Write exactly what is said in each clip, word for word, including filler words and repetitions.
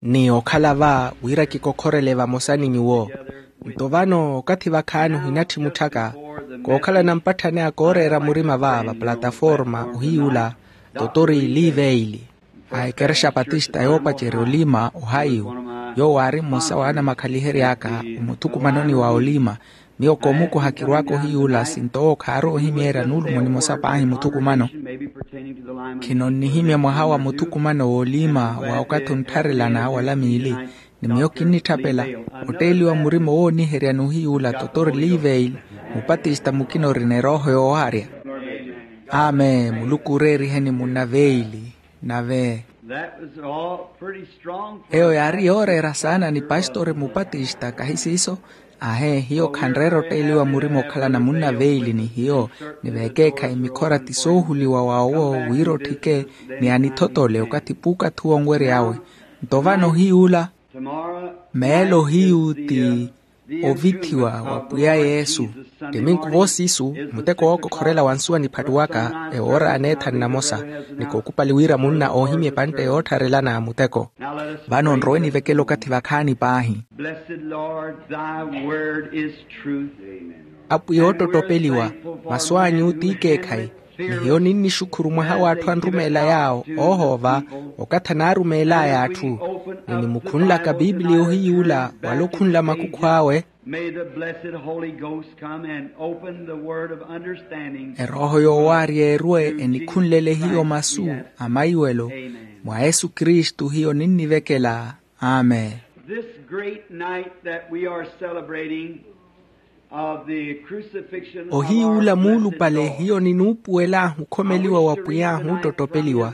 Ni okhala va wira kikokhorele vamosa ni nyuwo. Nto vano okathi vakhaani ohinatthi mutthaka kookhalana mpatthani a kooreera murima va vaplataforma ohiyula totori liveili a ekerexa patista yoopacerya olima ohayiwu. Yoowo aari mmosa wa anamakhalihery'aka omuthukumanoni wa olima. Miyo koomukuha kirwaaka ohiyuula sinto owo khaari ohimyeerya nuulumo nimosa paahi muthukumano. Khino nnihimya mwaha wa muthukumano woolima wa okathi onttharelana wala miili. Ni miyo kinnitthapela otteeliwa murima owooniherya n'uhiyuula totori liveili mupatista mukina orina erooho yoowaarya. Amen. Muluku oreeriheni munna veili. Nave eyo yaari yooreera saana ni pastori mupatista kahi siiso. Ahe hiyo khanreera otteeliwa murima okhalana munna veili ni hiyo. Ni veekeekhayi mikhora ti soohuliwa wa owo wira otthike ni anithotole okathi puukathi uwo onwery'awe. Nto vano ohiyuula meelo hiyu ti ovithiwa wa pwiya yesu. Ttiminku voosiisu muteko wookokhorela wa nsuwa niphattuwaka ewoora aneethani namosa. Ni kookupali wira munna oohimya epantte yoottharelana muteko. Vano nrowe nivekele okathi vakhaani paahi. Blessed Lord, thy word is truth. Apwiya oottottopeliwa. Masu anyu tiikeekhayi. Ni hiyo ninnixukhuru mwaha w'atthu anrumeela yaawo oohoova okathi anaarumeel'aya atthu. Ni nimukhunlaka piipiliya ohiyuula wala okhunla makukhu awe. May the blessed Holy Ghost come and open the word of understanding. Erooho yoowaarya erwe enikhunlele hiyo masu a maiwelo. Mwa yesu kristu hiyo ninnivekela. Amen. This great night that we are celebrating of the crucifixion of our blessed Lord. Ohiyuula muulupale hiyo ninuupuwel'ahu okhomeliwa wa pwiy'ahu ottottopeliwa.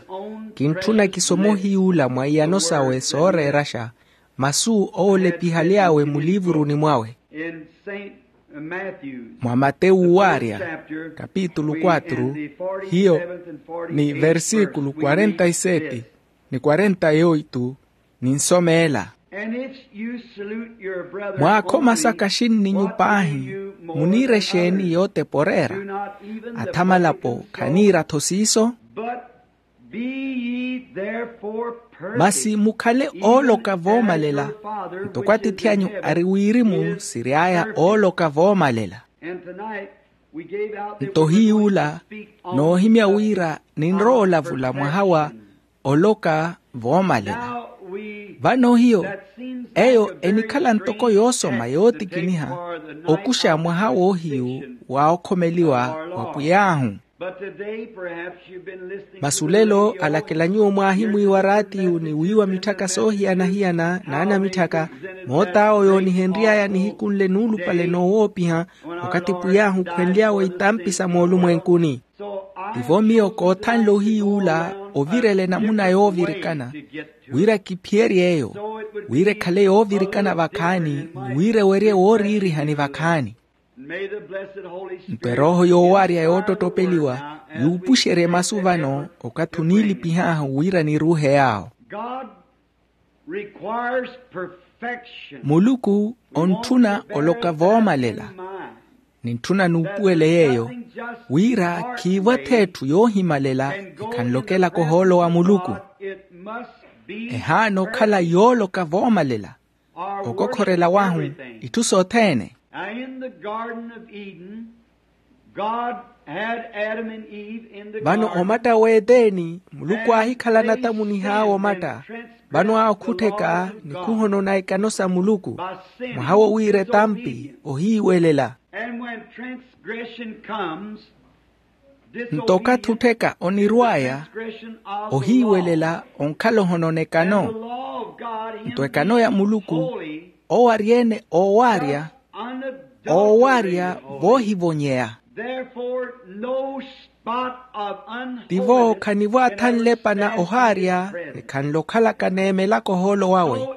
Kintthuna kisoma ohiyuula mwa iyano sawe sooreeraxa masu owo olepihaly'awe muliivuruni mwawe. In Saint Matthew's, mwa matewu waarya kapitulu quatro hiyo ni versikulu quarenta y sete ni quarenta y oito. Ninsomeela. And if you salute your brother only, mwaakhomasa kaxinninyu paahi muniira exeeni yootepa oreera? Athamalapo khaniira-tho siiso. But be ye therefore perfect. Masi mukhale ooloka voomalela ntoko atiithi anyu ari wirimu siry'aya ooloka voomalela. Nto hiyuula noohimya wira ninrowa olavula mwaha wa oloka voomalela. Vano hiyo eyo enikhala ntoko yoosoma yootikiniha okuxa mwaha woohiyu wa okhomeliwa wa pwiy'ahu. Masi olelo alakela nyuwo mwaahimwiiwa raatiyu ni wiiwa mitthaka soohiyana-hiyana n'anamitthaka moot'awo yoonihenry'aya nihiku nle nuulupale noowoopiha okathi pwiy'ahu khwenly'awe itampi sa moolumwenkuni. Tivo miyo koothanle ohiyuula ovirela enamuna yoovirikana wira kiphiyerye eyo wira ekhale yoovirikana vakhaani ni wira ewerye wooriirihani vakhaani. Nto erooho yoowaarya yoottottopeliwa yuupuxerye masu vano okathi oniilipih'ahu wira niruuhe yaawo. Muluku ontthuna oloka voomalela. Nintthuna nuupuwele yeeyo wira khiivo ath'etthu yoohimalela ekhanlokelaka ohoolo wa muluku. Ehaana okhala yooloka voomalela okokhorela wahu itthu sothene. Vano omatta w'eteni muluku aahikhala natamunih'awe omatta. Vano aakhuttheka ni khuhonona ekano sa muluku mwaha wo wira etampi ohiiwelela. Nto okathi ottheka onirw'aya ohiiwelela onkhala ohonona ekano. Nto ekano ya muluku owo ari-ene oowaarya oowaarya voohivonyeya. Tivo khanivo athanle epana ohaarya ni khanlo okhalaka neemelaka ohoolo wawe.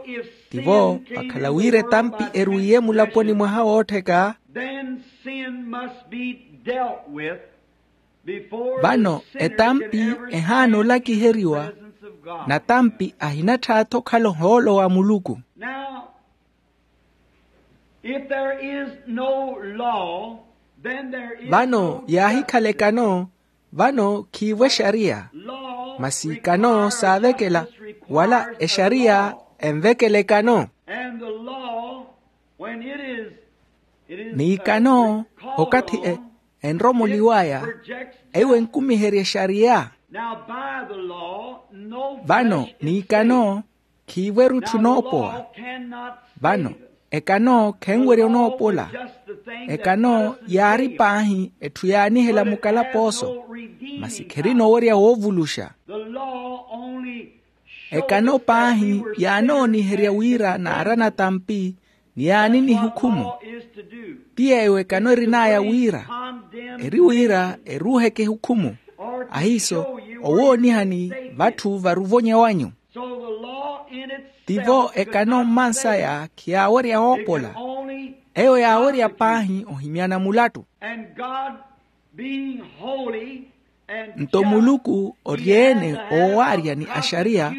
Tivo vakhala wira etampi erwiiye mulaponi mwaha woottheka. Vano etampi ehaana olakiheriwa natampi ahinattha-tho okhala ohoolo wa muluku. Vano yaahikhala ekano vano khiivo exariya. Masi ekano saavekela wala exariya Envekela ekano. And the law, when it is, it is, ni ekano, uh, called okathi e- on, enromoliwaya, it projects eiwo justice. Enkumiherya exariya. Now, by the law, no flesh is saved. Vano ni ekano, khiivo erutthu noopowa. Now, the law cannot save us. Vano ekano khenwerya onoopola. The law was just the thing that doesn't save us. Ekano yaari paahi etthu yaanihela mukalapooso. But it has no redeeming power. Masi kherina owerya woovuluxa. The law only showed us that we were sinners. Ekano paahi yaanooniherya wira naarana tampi, ni yaani nihukhumu. That's what law is to do. Ti yeeyo ekano erin'aya wira, eri wira eruuheke ehukhumu. Ahiiso, owoonihani vatthu varuvonya wanyu. So the law in itself could not save. Tivo ekano mmansaya khiyaawerya woopola. It could only prosecute. Eyo yaawerya paahi ohimyana mulattu. And God being holy and just, nto Muluku oryeene oowaarya ni axariya,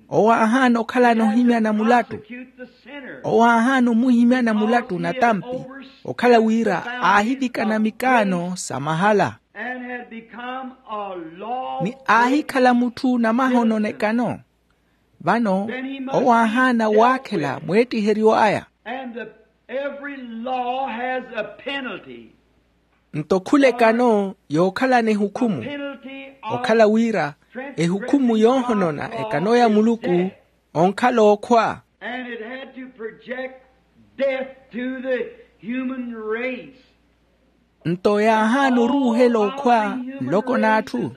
owo aahaana okhalana ohimyana mulattu. Owo aahaana omuhimyana mulattu na tampi, okhala wira aahivikana mikaano sa mahala. Ni aahikhala mutthu namahono n'ekano. Vano owo aahaana waakhela mweettiheryo aya. Every law has a penalty. Nto khula ekano yookhalana ehukhumu, okhala wira ehukhumu yoohonona ekano ya Muluku onkhala okhwa. And it had to project death to the human race. Nto yaahaana oruuhela okhwa nloko n'atthu,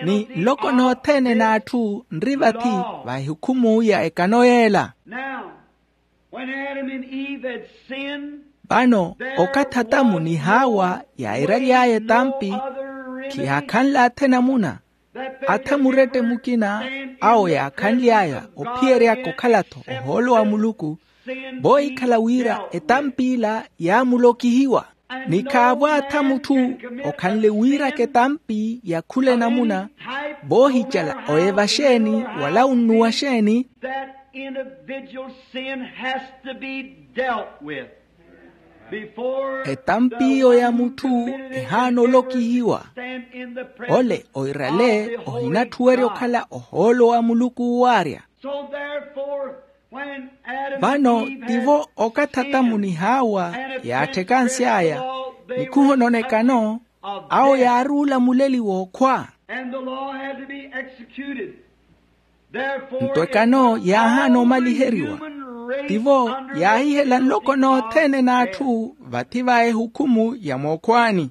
ni nloko nothene n'atthu nri vathi va ehukhumu ya ekano yeela. Now, when Adam and Eve had sinned, vano okathi Atamu ni Hawa yaairaly'aya etampi, khiyaakhanle athe namuna. Atha murette mukina awo yaakhanly'aya ophiyeryaka okhala-tho ohoolo wa Muluku, voohikhala wira etampiila yaamulokihiwa. Ni khaavo atha mutthu okhanle wiiraka etampi ya khula enamuna, voohicala oya evaxeeni wala unnuwa xeeni. That individual sin has to be dealt with before the one who committed it can ever stand in the presence of the holy God. Etampi oya mutthu ehaana olokihiwa. Ole oirale ohinatthuwerya okhala ohoolo wa Muluku owaarya. So therefore, when Adam and Eve had sinned and had transgressed the law, they were accused of death. Vano tivo okathi Atamu ni Hawa yaattheka ansi aya ni khuhonona ekano, awo yaari olamuleliwa okhwa. And the law had to be executed. Nto ekano yaahaana omaliheriwa. Tivo yaahihela nloko nothene n'atthu vathi va ehukhumu ya mookhwaani.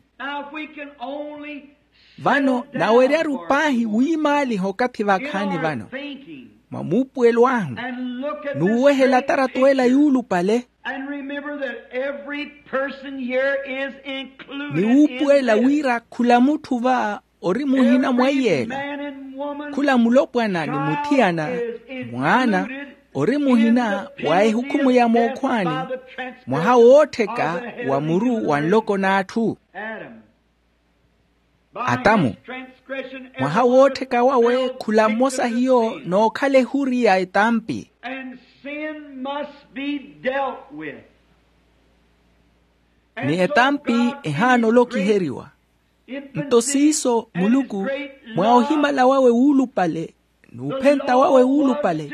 Vano naweryaru paahi wiimaaliha okathi vakhaani vano, mwa muupuwelo ahu, n'uwehela atarato ela yuulupale. Ni wuupuwela wira khula mutthu va ori muhina mwa iyela. Khula mulopwana ni muthiyana, mwaana, ori muhina wa ehukhumu ya mookhwaani, mwaha woottheka wa muru wa nloko n'atthu. Atamu, mwaha woottheka wawe khula mmosa hiyo nookhala ehuri ya etampi. Ni etampi ehaana olokiheriwa. Nto siiso Muluku, mwa ohimala wawe wuulupale n'uphenta wawe wuulupale,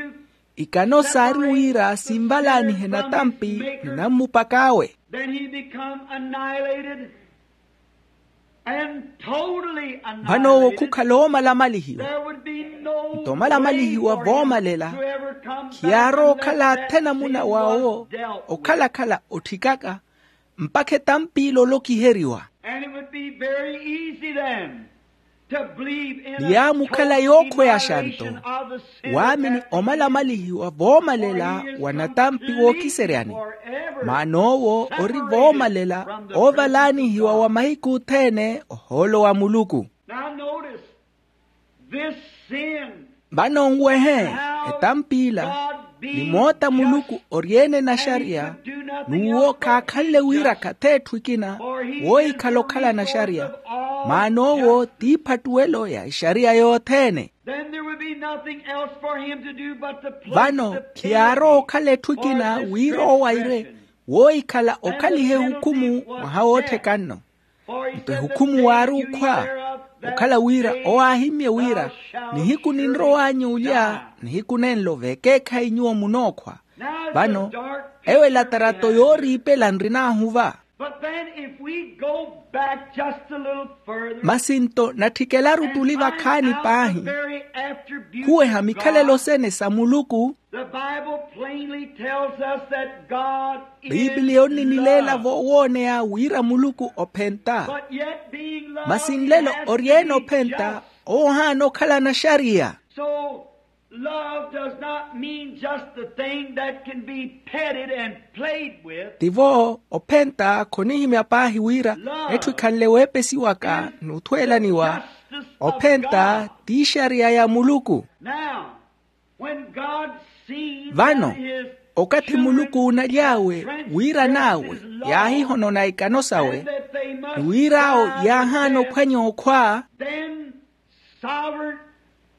ikano saari wira sinvalaanihe natampi ni nammupak'awe. Vano owo khukhala oomalamalihiwa. Nto omalamalihiwa voomalela khiyaarowa okhala athe namuna w'awo okhalakhala otthikaka mpakha etampiila olokiheriwa. Ni yaamukhala yookhweyaxa nto waamini omalamalihiwa voomalela wa natampi wookiseryani, maana owo ori voomalela oovalaanihiwa wa mahiku othene ohoolo wa Muluku. Vano nwehe, etampiila ni moota Muluku ori-ene naxariya, n'uwo khaakhanle wiirakha t'etthu ekina woohikhala okhala naxariya, maana owo t'iphattuwelo ya exariya yothene. Vano khiyaarowa okhala etthu ekina wira owo aire woohikhala okhaliha ehukhumu mwaha wootthekanno. Nto ehukhumu waari okhwa, Okhala wira owo aahimmye wira, nihiku ninrow'anyu olya, nihiku nenlo veekeekhayi nyuwo munookhwa. Vano eyo elatarato yooriipela nrinaahuva. But then if we go back just a little further, masi nto natthikelaru tuli vakhaani paahi, khuweha mikhalelo sene sa muluku. The Bible plainly tells us that God is biipiliya onninileela love. Voowooneya wira muluku ophenta. But yet being love, masi nlelo oryeene ophenta, owo ohaana okhala naxariya. So love does not mean just the thing that can be petted and played with. Tivo ophenta khonihimya paahi wira etthu ekhanle weepesiwaka n'uthweelaniwa. Ophenta ti ixariya ya muluku. Now when God seen vano that his okathi muluku uunaly'awe wiiran'awe yaahihonona ikano sawe, ni wir'awo yaahaana ophwanya okhwa. Then sovereign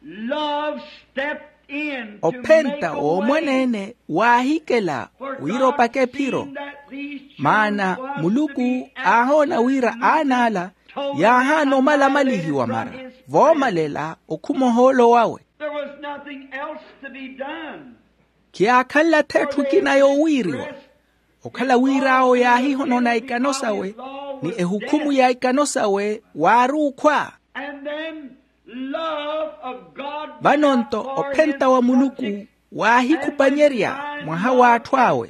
love stepped in to make a way. Ophenta woomwaneene waahikela wira opaka ephiro. Maana muluku aahoona wira aan'ala yaahaana omalamalihiwa mara voomalela okhuma ohoolo wawe. There was nothing else to be done. Khiyaakhanle-tho etthu ekina yoowiiriwa. Okhala wir'awo yaahihonona ikano sawe, ni ehukhumu ya ikano sawe waari okhwa. And then love of God. Vano nto ophenta wa muluku waahikhupanyerya mwaha w'atthu awe.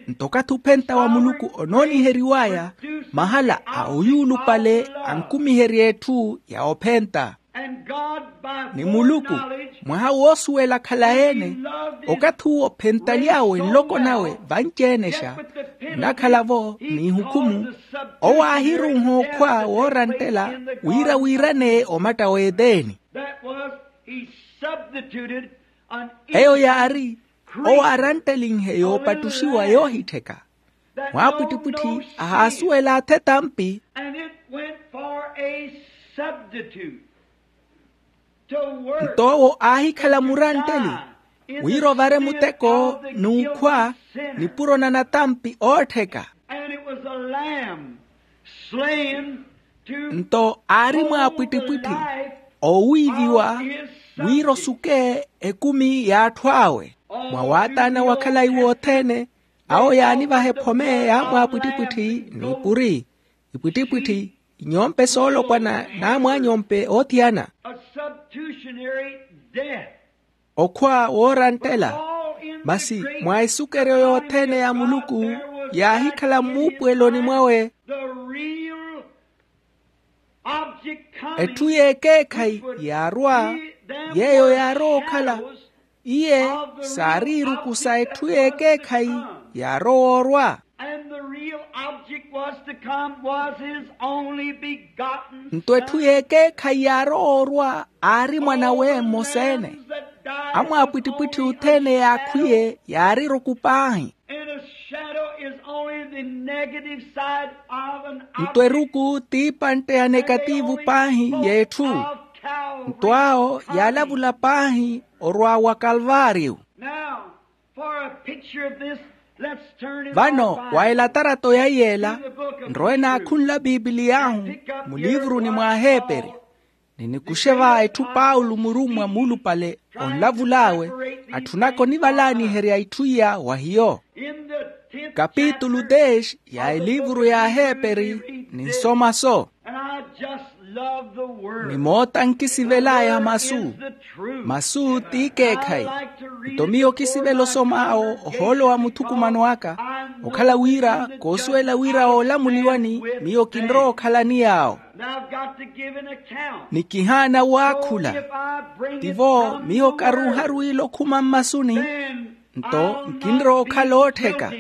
Nto okathi ophenta wa muluku onooniheriw'aya, mahala a oyuulupale ankumiherya etthu ya ophenta. Ni muluku mwaha woosuwela khalayi-ene, okathi uwo ophentaly'awe nloko nawe vanci-enexa nnakhala-vo n'ihukhumu, owo aahiruuha okhwa wooranttela wira wiiraneye omatta w'eteni. Eyo yaari owo aaranttelihe yoopattuxiwa yoohittheka. Mwaapwittipwitthi ahaasuwela athe tampi. Nto owo aahikhala murantteli wira ovare muteko n'ukhwa nipuro na natampi oottheka. Nto aari mwaapwittipwitthi oowiiviwa wira osuke ekumi y'atthu awe. Mwa waataana wa khalayi wothene, awo yaanivaha ephome ya mwaapwittipwitthi n'ipuri ipwittipwitthi, inyompe soolopwana n'amwaanyompe oothiyana. Okhwa wooranttela. Masi mwa esukeryo yothene ya muluku yaahikhala mmuupuweloni mwawe etthu y'ekeekhayi yaarwa, yeeyo yaarowa okhala iye saari iruku sa etthu y'ekeekhayi yaarowa orwa. Nto etthu y'ekeekhayi yaarowa orwa aari mwanawe mmosa-ene. Amwaapwittipwitthi othene yaakhwiye yaari iruku paahi. Nto eruku t'ipantte ya nekativu paahi y'etthu. Nto awo yaalavula paahi orwa wa kalvaariyo. Vano wa elatarato ya yeela nrowe naakhunla pipiliy'ahu muliivuruni mw'aheeperi. Ni nikuxe va etthu paulo murummwa muulupale onlavul'awe atthunaka onivalaaniherya itthu iya wa hiyo. Kapitulu dez ya eliivuru y'aheeperi ninsoma-so. Ni moota nkisivel'aya masu. Masu t'ikeekhayi. Nto miyo kisivela osom'awo ohoolo wa muthukumano aka okhala wira koosuwela wira oolamuliwani miyo kinrowa okhalani yaawo. Ni kihaana waakhula. Tivo miyo karuuharu ile okhuma mmasuni. Nto nkinrowa okhala oottheka.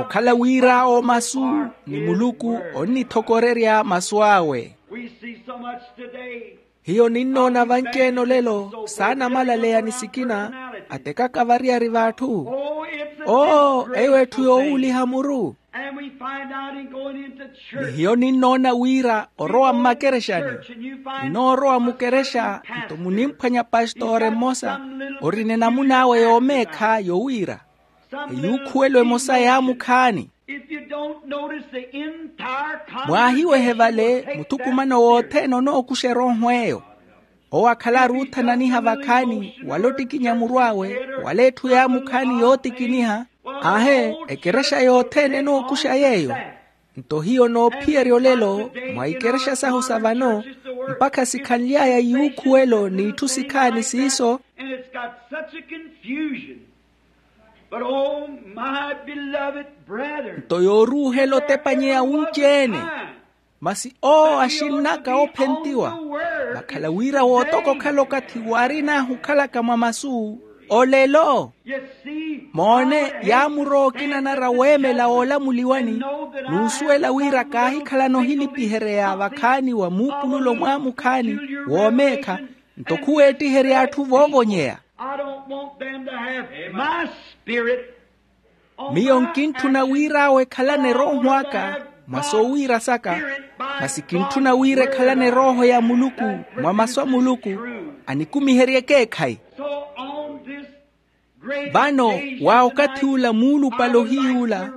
Okhala wira awo masu ni muluku onnithokorerya masu awe. Hiyo ninnoona vanci-ene olelo saanamalaleya ni sikina atekaka variyari v'atthu. Oo eyo etthu yoowuuliha muru. Ni hiyo ninnoona wira orowa mmakerexani. Ninoorowa mukerexa nto munimphwanya pastore mmosa orina enamun'awe yoomeekha yowiira eyuukhuwelo emosa yaamukhaani. Mwaahiwehe vale muthukumano wothene onookuxa erooho eyo. Owo akhalaru othananiha vakhaani wala ottikinya muru awe, wala etthu yaamukhaani yoottikiniha. Aahe, ekerexa yothene enookuxa yeeyo. Nto hiyo noophiyerya olelo mwa ikerexa sahu sa vano, mpakha sikhanly'aya yuukhuwelo n'itthu sikhaani siiso. But oh, my beloved brethren, nto yooruuhela otepanyeya wunci-ene. Masi owo axinnaka oophentiwa vakhala wira wootoka okhala okathi waarin'ahu okhalaka mwa masu olelo. Moone, yaamurowa okina anarwa weemela woolamuliwani, n'usuwela wira kaahikhalana ohilipihereya vakhaani wa muupululo mwaamukhaani woomeekha. Nto khuweettiherya atthu voovonyeya. I don't want them to have my spirit on my attribute. Miyo nkintthuna wira awo ekhalane erooho aka mwa soowiira saka, masi kintthuna wira ekhalane erooho ya muluku mwa masu a muluku, anikumiherye ekeekhayi. So on this great day, vano wa okathi ula muulupale ohiy'ula,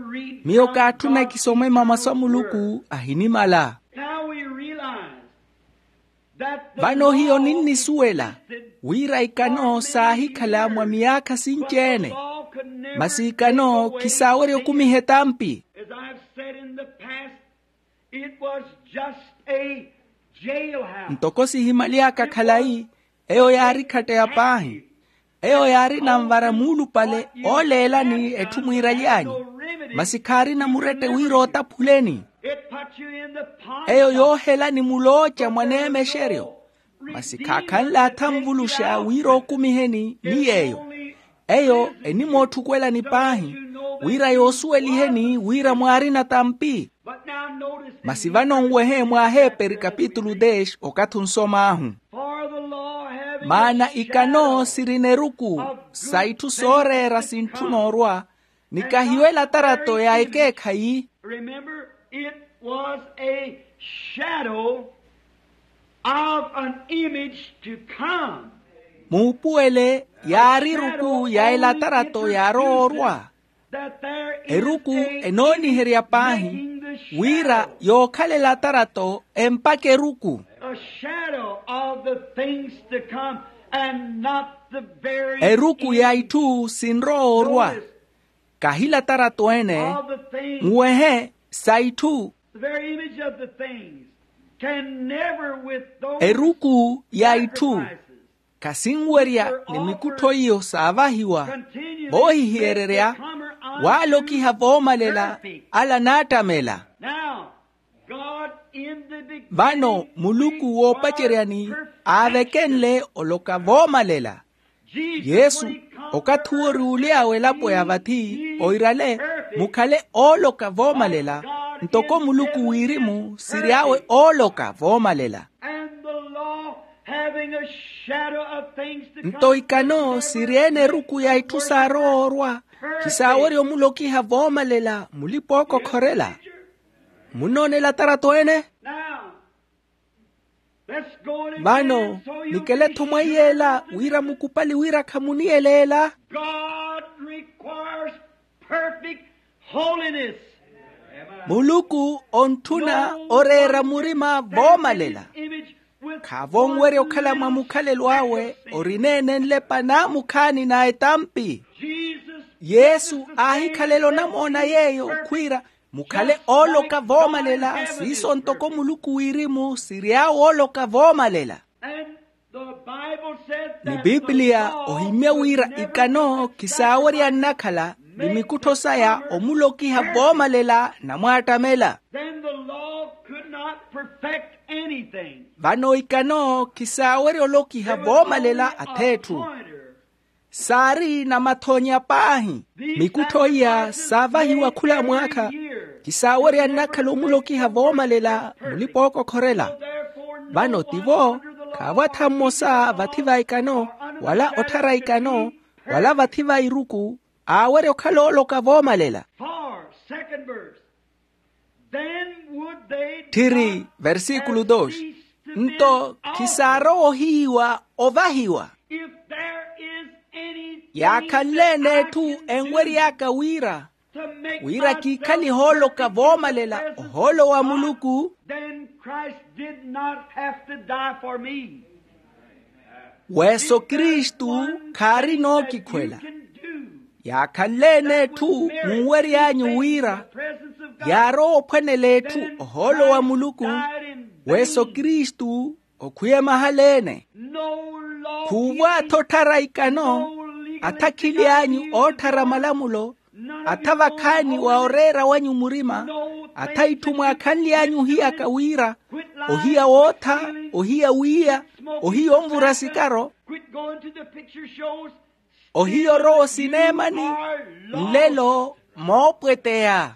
miyo kaatthuna ekisomwe mamasu a muluku ahinimala. Now we realize that the law existed, vano hiyo ninnisuwela wira ikano saahikhala mwa miyaakha sinci-ene, but the law could never take away the sin. Masi ikano khisaawerya okumiha etampi. As I've said in the past, it was just a jailhouse. Ntoko sihimaly'aka khalayi, eyo yaari khatteya paahi. Eyo yaari nanvara muulupale ooleelani etthu mwiiraly'anyu, masi khaarina murette wira ootaphuleni. Eyo yoohelani mulooca mwaneemexeryo, masi khaakhanle athanvuluxa wira ookumiheni ni yeeyo. Eyo enimootthukwelani paahi wira yoosuweliheni wira mwaarina tampi. Masi vano nwehe mwa aheeperi kapitulu dez okathi onsom'ahu. Maana ikano sirina eruku sa itthu sooreera sintthuna orwa, ni kahiyo elatarato ya ekeekhayi. Remember, it was a shadow of an image to come. Muupuwele yaari eruku ya elatarato yaarowa orwa. Eruku enooniherya paahi wira yookhala elatarato empakha eruku. A shadow of the things to come and not the very eruku ya itthu sinrowa orwa. Kahi elatarato ene. Nwehe sa itthu. The very image of the things can never with those eruku ya itthu sacrifices. Khasinwerya ni mikuttho iyo saavahiwa voohihiyererya waalokiha voomalela ala naattamela. Vano muluku woopaceryani aavekenle oloka voomalela. Yesu okathi uwo ori uly'awe elapo ya vathi oirale mukhale ooloka voomalela, ntoko muluku wirimu siry'awe ooloka voomalela. Nto ikano siri-ene eruku ya itthu saarowa orwa, khisaawerya omulokiha voomalela mulipa-ookokhorela. Munnoona elatarato ene? Vano nikele-tho mwa iy'ela wira mukupali wira khamuniyeleela. God requires perfect holiness. Muluku ontthuna oreera murima voomalela. Khaavonwerya okhala mwa mukhalelo awe orineenenle panaamukhaani na etampi. Yesu aahikhalela onamoona yeeyo khwiira mukhale ooloka voomalela siiso ntoko muluku wirimu siry'awe ooloka voomalela. Ni pipiliya ohimmya wira ikano khisaawerya nnakhala ni mikuttho saya omulokiha voomalela namwaattamela. Vano ikano khisaawerya olokiha voomalela ath'etthu. Saari namathoonya paahi. Mikuttho iya saavahiwa khula mwaakha khisaawerya nnakhala omulokiha voomalela mulipa-ookokhorela. Vano tivo khaavo atha mmosa vathi va ikano wala otthara ikano wala vathi va iruku aawerya okhala ooloka voomalela. Tthiri versikulu dos. Nto khisaarowa ohiyiwa ovahiwa. Yaakhanle-ene etthu enwery'aka wira Wira kiikhale ohooloka voomalela ohoolo wa muluku. Then Christ did not have to die for me. Weso kristu khaari nookikhwela. Yaakhanle-ene etthu munwery'anyu wira yaarowa ophwanela etthu ohoolo wa muluku. Weso kristu okhwiya mahala-ene. Khuuvwa atha otthara ikano, atha akhili anyu ootthara malamulo, atha vakhaani wa oreera wanyu murima, atha itthu mwaakhanly'anyu ohiyaka wira ohiya wootha, ohiya wiiya, ohiya onvura sikaro, ohiya orowa osineemani. Nlelo moopweteya.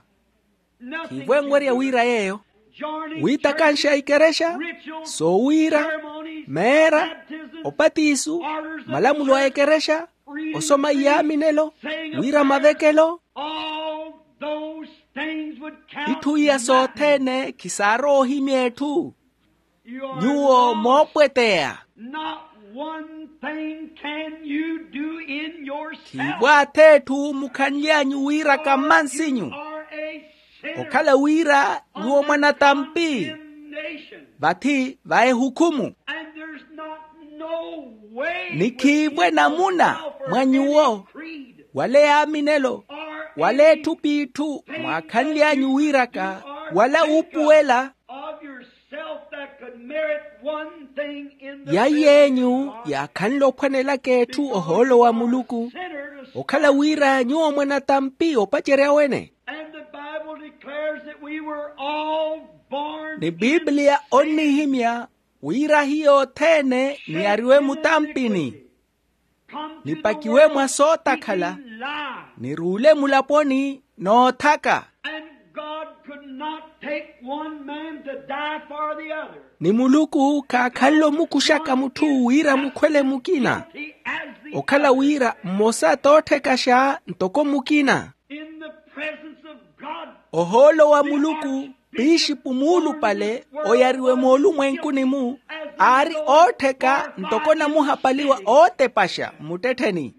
Khiivo enwerya wira yeeyo. Wiitakanxa ikerexa, soowiira, meera, opatisu, malamulo a ekerexa, osoma iyaaminelo, wira mavekelo. Itthu iya sothene khisaarowa ohimya etthu. Nyuwo moopweteya. Not one thing can you do in yourself. Khiivo atha etthu mukhanly'anyu wira kammansinyu. Okhala wira nyuwo mwanatampi. Vathi va ehukhumu. Ni khiivo enamuna mwa nyuwo, wala eyaaminelo, wala etthu p'itthu mwaakhanly'anyu wiiraka, wala wuupuwela. Ya yeny'u yaakhanle ophwanelaka etthu ohoolo wa muluku, okhala wira nyuwo mwanatampi opacerya wene. Ni bibliya onnihimya wira hiyo othene niyariwe mutampini, nipakiwe mwa sootakhala, niruule mulaponi n'othaka. Ni muluku khaakhanle omukuxaka mutthu wira mukhwele mukina, okhala wira mmosa t'otthekaxa ntoko mukina. Ohoolo wa muluku, pixipu muulupale oyariwe moolumwenkuni-mu, aari oottheka ntoko namuhapaliwa ootepaxa mmuttettheni.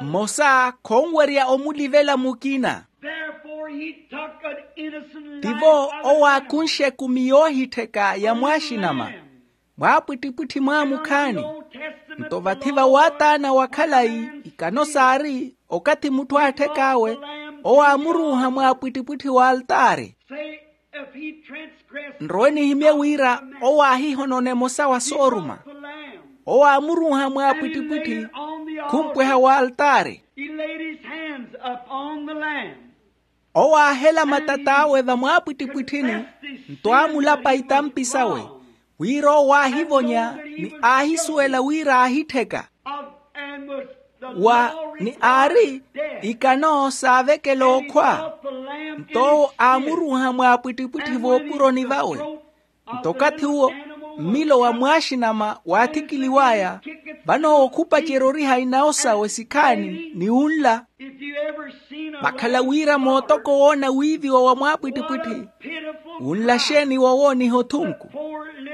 Mmosa khonwerya omulivela mukina. Tivo owo aakunxe ekumi yoohittheka ya mwaaxinama mwaapwittipwitthi mwaamukhaani. Nto vathi va waataana wa khalayi, ikano saari okathi mutthu aatthek'awe, owo aamuruuha mwaapwittipwitthi w'altaari. Nrowe nihimye wira owo aahihonona emosa wa sooruma, owo aamuruuha mwaapwittipwitthi khumpweha w'altaari. Owo aahela matat'awe vamwaapwittipwitthini, nto aamulapa itampi sawe, wira owo aahivonya ni aahisuwela wira aahittheka. Wa ni aari ikano saavekela okhwa, nto owo aamuruuha mwaapwittipwitthi voopuroni vawe. Nto okathi uwo mmilo wa mwaaxinama waathikiliw'aya, vano owo khupacerya oriha inawo sawe sikhaani ni unla. Vakhala wira mootoko woona wiiviwa wa mwaapwittipwitthi, unla xeeni wowooniha othunku?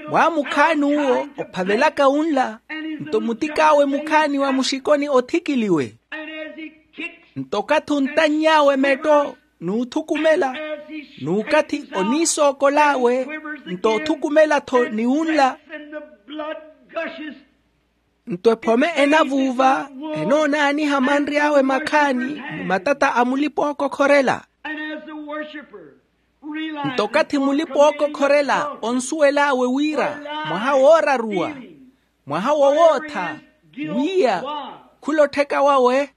Mwaamukhaani uwo ophavelaka unla, nto mutik'awe mukhaani wa muxikoni othikiliwe. Nto okathi ontanny'awe metto n'uthukumela, n'ukathi oniisookol'awe, nto othukumela-tho ni unla. Nto ephome enavuuva, enoonaaniha manry'awe makhaani mmatata a mulipa-ookokhorela. Nto okathi mulipa-ookokhorela onsuwel'awe wira mwaha wooraruwa, mwaha wowootha, wiiya, khula ottheka wawe.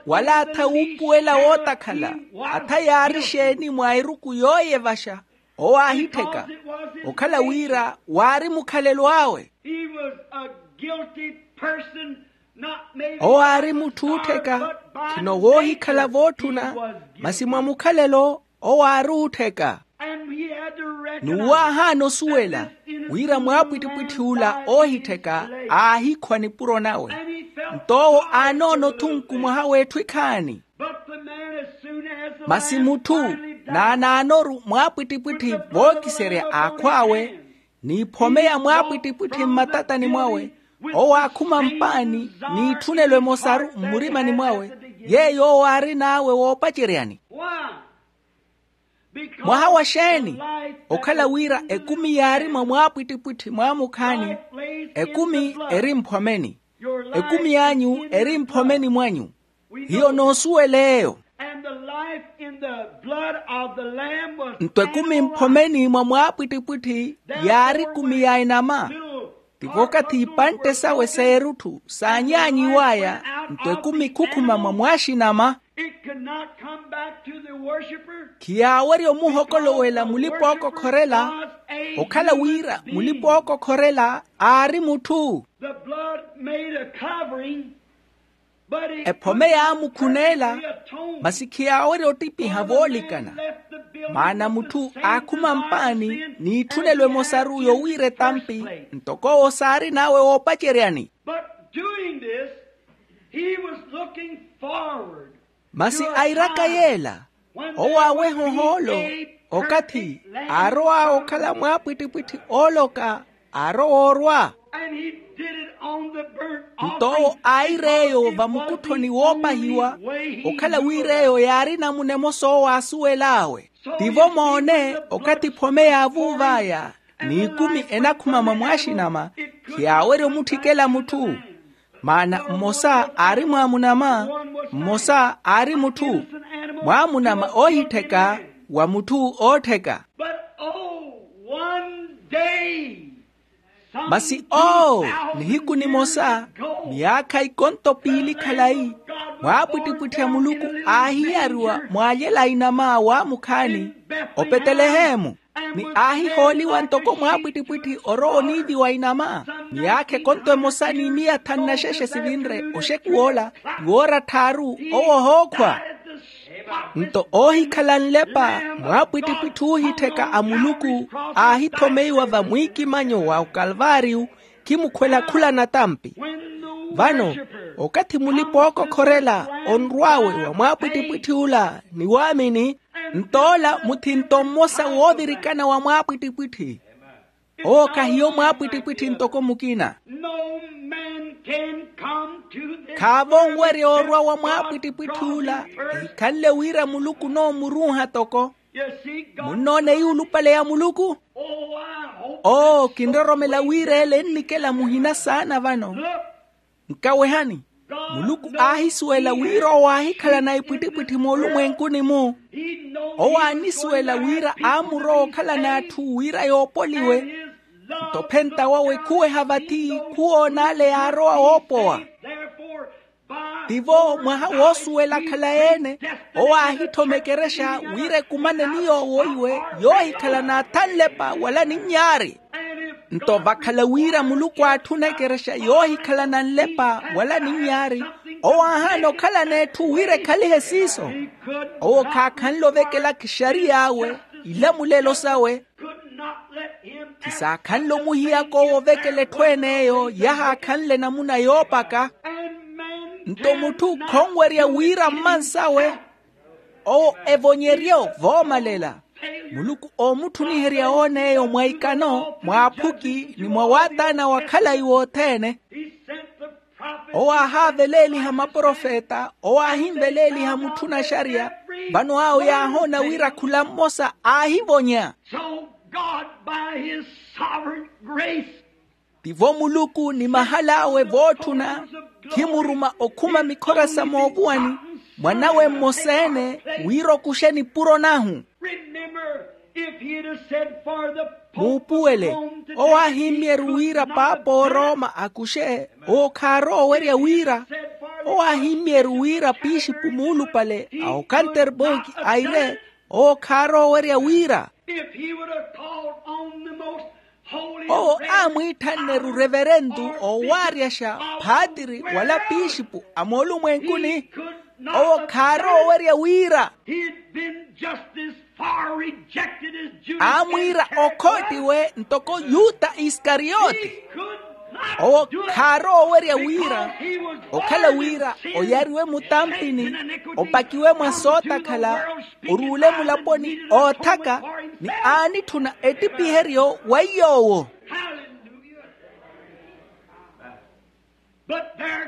Wala atha wuupuwela wootakhala, atha yaari xeeni mwa eruku yooyevaxa, owo aahittheka, okhala wira waari mukhalelo awe. Owo aari mutthu oottheka, khino woohikhala vootthuna, masi mwa mukhalelo owo aari oottheka. N'uwo aahaana osuwela wira mwaapwittipwitthi ula oohittheka aahikhwa nipuro nawe, nto owo aanoona othunku mwaha w'etthu ekhaani. Masi mutthu naanaanoru mwaapwittipwitthi vookiserya aakhw'awe, n'iphome ya mwaapwittipwitthi mmatatani mwawe, Owo aakhuma mpaani n'itthunelo emosaru mmurimani mwawe, yeeyo owo aarin'awe woopaceryani. Mwaha wa xeeni? Okhala wira ekumi yaari mwa mwaapwittipwitthi mwaamukhaani, ekumi eri mphomeni. Ekumi y'anyu eri mphomeni mwanyu. Hiyo noosuwela eyo. Nto ekumi mphomeni mwa mwaapwittipwitthi yaari ekumi ya enama. Tivo okathi ipantte sawe s'erutthu saanyaanyiw'aya, nto ekumi khukhuma mwa mwaaxinama. Khiyaawerya omuhokolowela mulipa ookokhorela, okhala wira mulipa ookokhorela aari mutthu. Ephome yaamukhuneela, masi khiyaawerya ottipiha voolikana. Maana mutthu aakhuma mpaani n'itthunelo emosaru yowiira etampi, ntoko owo saarin'awe woopaceryani. Masi airaka yeela, owo aaweha ohoolo okathi aarow'awe okhala mwaapwittipwitthi ooloka, aarowa orwa. Nto owo aayira eyo vamukutthoni woopahiwa, okhala wira eyo yaari namuna emosa owo aasuwel'awe. Tivo moone, okathi ephome yaavuuv'aya n'ikumi enakhuma mwa mwaaxinama, khiyaawerya omutthikela mutthu. Maana mmosa aari mwaamunama, mmosa aari mutthu. Mwaamunama oohittheka wa mutthu oottheka. Masi oo, nihiku nimosa, myaakha ikonto piili khalayi, mwaapwittipwitthi a muluku aahiyariwa mwaalyela inama waamukhaani opetelehemu. Ni aahihooliwa ntoko mwaapwittipwitthi orowa oniiviwa inama. Myaakha ekonto emosa ni miya thanu na xexe sivinre oxekuw'ola, ni woora tthaaru owo ohookhwa. Nto oohikhala nlepa mwaapwittipwitthi oohittheka a muluku aahithomeiwa vamwiikimanyo wa okalvaariyu, khimukhwela khula natampi. Vano, okathi mulipa ookokhorela onrw'awe wa mwaapwittipwitthi ula ni waamini, nto ola muthinto mmosa woovirikana wa mwaapwittipwitthi. Owo khahiyo mwaapwittipwitthi ntoko mukina. Khaavo onwerya orwa wa mwaapwittipwitthi ula ehikhanle wira muluku onoomuruuha toko. Munnoona eyuulupale ya muluku? Oo, kinroromela wira ele ennikela muhina saana vano. Nkawehani, muluku aahisuwela wira owo aahikhalana epwittipwitthi moolumwenkuni-mu. Owo aanisuwela wira aamurowa okhalana atthu wira yoopoliwe. Nto ophenta wawe khuweha vathi khuwoona ale yaarowa woopowa. Tivo mwaha woosuwela khalayi-ene, owo aahitthoma ekerexa wira ekumane ni yoowo iwe yoohikhalana atha nlepa wala ninyaari. Nto vakhala wira muluku aatthuna ekerexa yoohikhalana nlepa wala ninyaari, owo aahaana okhalana etthu wira ekhalihe siiso. Owo khaakhanle ovekela kixariy'awe, ilamulelo sawe. Khisaakhanle omuhiyaka owo ovekela etthu en'eyo yahaakhanle namuna yoopaka. Nto mutthu khonwerya wira mmansawe, owo evonyerye ovoomalela. Muluku oomutthuniherya oon'eyo mwa ikano, mwa aphuki ni mwa waataana wa khalayi wothene. Owo aahaaveleeliha maprofeta, owo aahinveleeliha mutthuna xariya. Vano awo yaahoona wira khula mmosa aahivonya. So God, by his sovereign grace, tivo muluku ni mahal'awe vootthuna, khimuruma okhuma mikhora sa moovuwani, mwanawe mmosa-ene, wira okuxe nipuro nahu. Remember, if he had have said for the Pope of Rome to take the key, he could not have done it. Muupuwele, owo aahimmiyeru wira paapo orooma akuxe, owo khaarowa owerya wira. Owo aahimmiyeru wira piixipu muulupale a okanterburki aire, owo khaarowa owerya wira. If he would have called on the most holy, owo aamwiithanneru reverentu oowaaryasha phaatiri wala piixipu a moolumwenkuni, owo khaarowa owerya wira. He'd been just as far rejected as Judas Iscariot. Aamwiira okhootiwe ntoko yuta Iskariyoti. Owo khaarowa owerya wira, okhala wira oyariwe mutampini, opakiwe mwa sootakhala, oruule mulaponi oothaka, ni aanitthuna ettipiheryo wa iy'owo.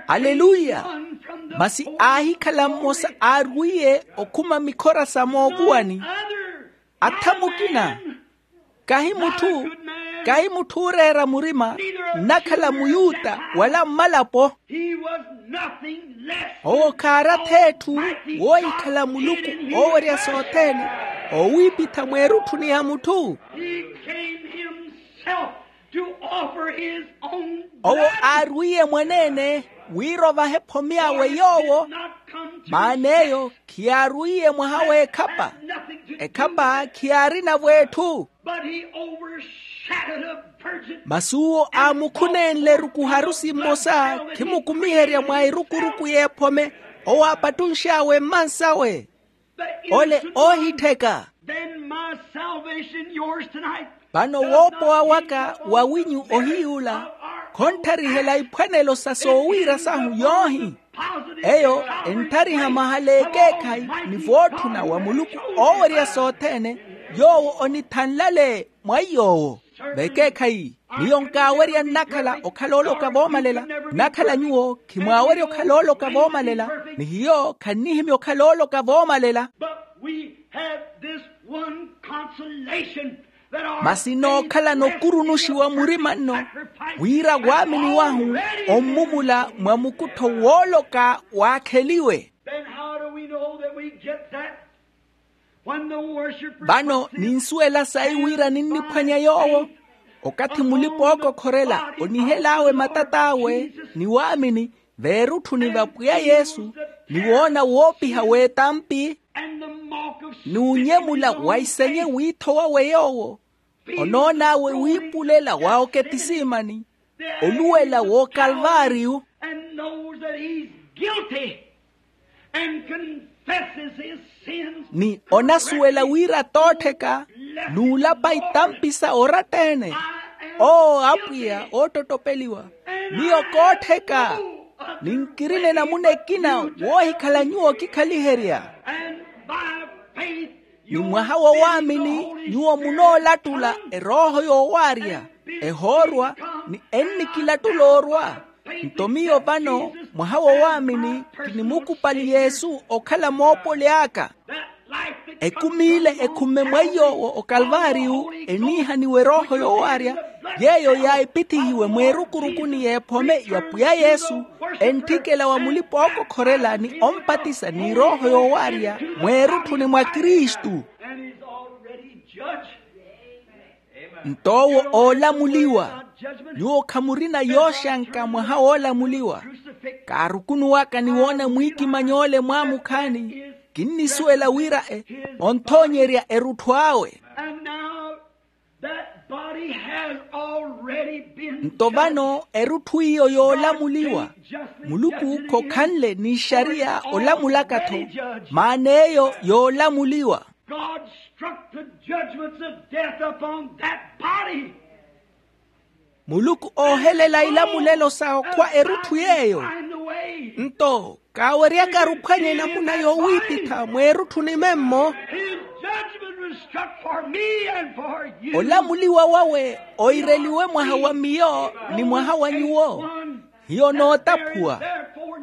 Aleluya. Masi aahikhala mmosa aarwiye okhuma mikhora sa mookuwani. Atha mukina, kahi mutthu kahi mutthu ooreera murima, nnakhala muyuta wala mmalapo. Owo khaaratha etthu woohikhala muluku oowerya sothene, oowiipitha mweerutthuni ya mutthu. Owo aarwiye mwaneene wira ovahe ephome awe yoowo. Maana eyo khiyaarwiye mwaha w'ekhapa. Ekhapa khiyaarinavo etthu. Masi uwo aamukhunenle eruku harusi mmosa khimukumiherya mwa erukuruku y'ephome, owo aapattunx'awe mmansawe. Ole oohittheka. Vano woopowa waka wawinyu ohiy'ula, khonttarihela iphwanelo sa soowiira sahu yoohi. Eyo enttariha mahala ekeekhayi ni vootthuna wa muluku oowerya sothene, yoowo onithanlale mwa iy'owo. Vekeekhayi, miyo nkaawerya nnakhala okhala ooloka voomalela. Nnakhala nyuwo khimwaawerya okhala ooloka voomalela, ni hiyo khannihimya okhala ooloka voomalela. Masi nookhalana okurunuxiwa murima nno, wira waamini wahu ommuvula mwa mukuttho wooloka waakheliwe. Vano ninsuwela sayi wira ninniphwanya yoowo, okathi mulipa-ookokhorela onihel'awe matat'awe ni waamini veerutthuni va pwiya yesu, ni woona woopiha w'etampi, n'unyemula wa isenye wiitho wawe yoowo, onoon'awe wiipulela wa oketisiimani, oluwela w'okalvaariyu. Ni onasuwela wira toottheka n'ulapa itampi sa oratta-ene. Oo apwiya oottottopeliwa, miyo koottheka, ninkirina enamuna ekina woohikhala nyuwo okikhaliherya. Ni mwaha wa waamini nyuwo munoolattula erooho yoowaarya, ehoorwa, ni ennikilattula orwa. Nto miyo vano mwaha wa waamini kinimukupali yesu okhala moopoli aka. Ekumi ile ekhumme mwa iy'owo okalvaariyu eniihaniwa erooho yoowaarya, yeeyo yaahipithihiwe mweerukurukuni y'ephome ya pwiya yesu, entthikela wa mulipa-ookokhorela ni ompatisa n'erooho yoowaarya mweerutthuni mwa kristu. Nto owo oolamuliwa. Nyuwo khamurina yooxanka mwaha woolamuliwa. Kaarukunuwaka ni woona mwiikimanyoole mwaamukhaani, kinnisuwela wira e, onthoonyerya erutthu awe. Nto vano erutthu iyo yoolamuliwa. Muluku khokhanle n'ixariya olamulaka-tho, maana eyo yoolamuliwa. God struck the judgments of death upon that body. Muluku oohelela ilamulelo sa okhwa erutthu yeeyo. Nto kaaweryaka aruphwanye enamuna yoowiipitha mweerutthuni memmo. His judgment was struck for me and for you. Olamuliwa wawe oireliwe mwaha wa miyo ni mwaha wa nyuwo. Hiyo nootaphuwa.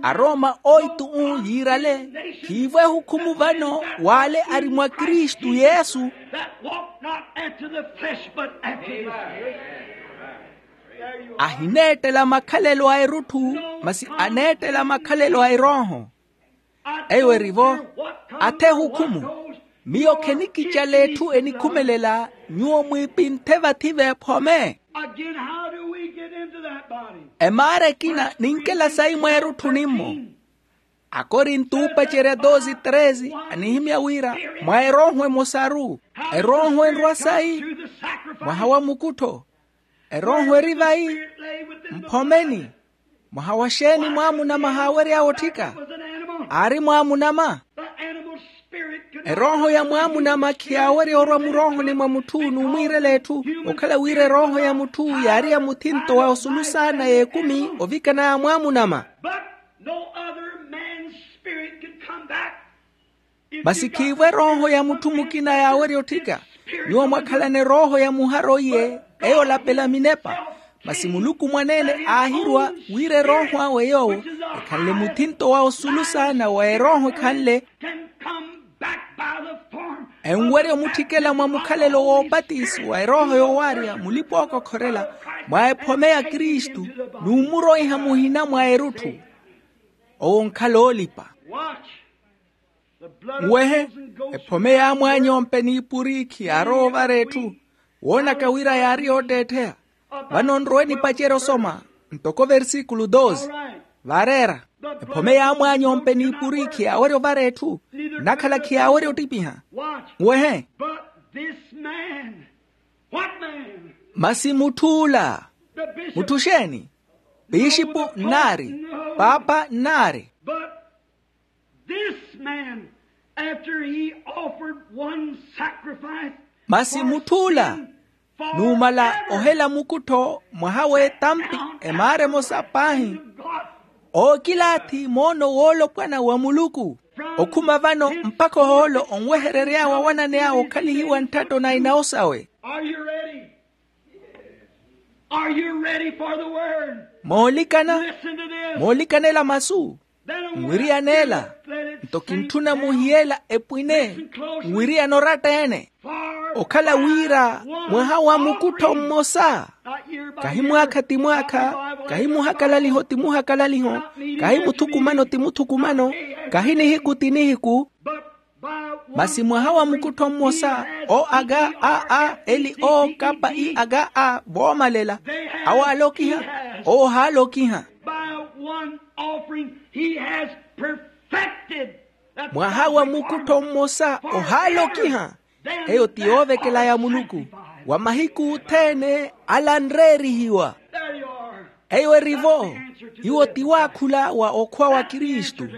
Arooma oitu-u yiirale, khiivo ehukhumu vano w'ale ari mwa kristu yesu. That walk not after the flesh but after the spirit. Ahineettela makhalelo a erutthu, masi aneettela makhalelo a erooho. Eyo erivo athe ehukhumu. Miyo khenikicala etthu enikhumelela nyuwo mwiipinthe vathi veephome. Again, how do we get into that body? Emaara ekina ninkela sayi mweerutthuni-mmo. Akorinto oopacerya doze treze anihimya wira mwa erooho emosaru, erooho enrwa sayi mwaha wa mukuttho. Erooho eri vayi? Mphomeni. Mwaha wa xeeni mwaamunama haawery'awe otthika? Aari mwaamunama. Erooho ya mwaamunama khiyaawerya orwa muroohoni mwa mutthu n'umwiirela etthu. Okhala wira erooho ya mutthu yaari ya muthinto wa osulu saana y'ekumi ovikana ya mwaamunama. But no other man's spirit could come back. Masi khiivo erooho ya mutthu mukina yaawerya otthika. Nyuwo mwakhalana erooho ya muharo iye, eyo olapela minepa. Masi muluku mwaneene aahirwa wira erooho awe yoowo ekhanle muthinto wa osulu saana wa erooho ekhanle enwerya omutthikela mwa mukhalelo woopatisi wa erooho yoowaarya mulipa ookokhorela mwa ephome ya kristu, n'umuro iha muhina mwa erutthu. Owo onkhala oolipa. Nwehe, ephome yaamwaanya ompe n'ipuriikhi yaarowa ovara etthu. Woonaka wira yaari yootteettheya. Vano nrowe nipacerye osoma ntoko versikulu doze. Vaareera, ephome yaamwaanya ompe n'ipuriikhi yaawerya ovara etthu, nnakhala khiyaawerya ottipiha. Nwehe. Masi mutth'ula. Mutthu xeeni? Pixipu nnaari. Paapa nnaari. This man, after he offered one sacrifice, masi mutth'ula, numala ohela mukuttho mwaha w'etampi emaara emosa paahi, ookilaathi moono woolopwana wa muluku. Okhuma vano mpakha ohoolo onweherery'awe awanani awe okhalihiwa ntthatto na inawo sawe. Are you ready? Are you ready for the word? Moolikana? Listen to this. Moolikanela masu. Then I want you to let it sink down. Nwiriyaneela. Nto kintthuna muhiyela epwine. Listen closely. Nwiriyana oratta-ene. Okhala wira mwaha wa mukuttho mmosa, kahi mwaakha ti mwaakha, kahi muhakalaliho ti muhakalaliho, kahi muthukumano ti muthukumano, kahi nihiku ti nihiku. Masi mwaha wa mukuttho mmosa, o aga a a eli o kapa i aga a voomalela, awo aalokiha, owo ohaalokiha. Mwaha wa mukuttho mmosa ohaalokiha. Eyo ti yoovekela ya muluku. Wa mahiku othene alanreerihiwa. Eyo erivo. Iwo ti waakhula wa okhwa wa kristu.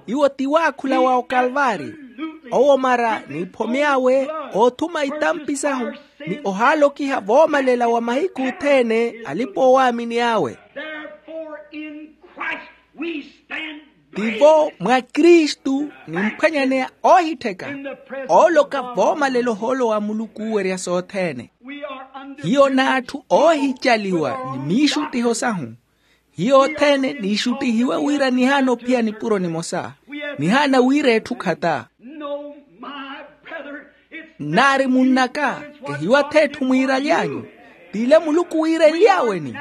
Iwo ti waakhula wa okalvaari. Owo mara niiphomy'awe oothuma itampi sahu, ni ohaalokiha voomalela wa mahiku othene alipa-oowaamini awe. Tivo mwa kristu nimphwanyaneya oohittheka, ooloka voomalela ohoolo wa muluku oowerya sothene. Hiyo n'atthu oohicaliwa ni miixuttiho sahu. Hiyo othene niixuttihiwe wira nihaana ophiya nipuro nimosa. Nihaana wira etthu khata. Nnaari munn'aka, kehiwathi etthu mwiiraly'anyu, t'ile muluku wiirenly'aweni.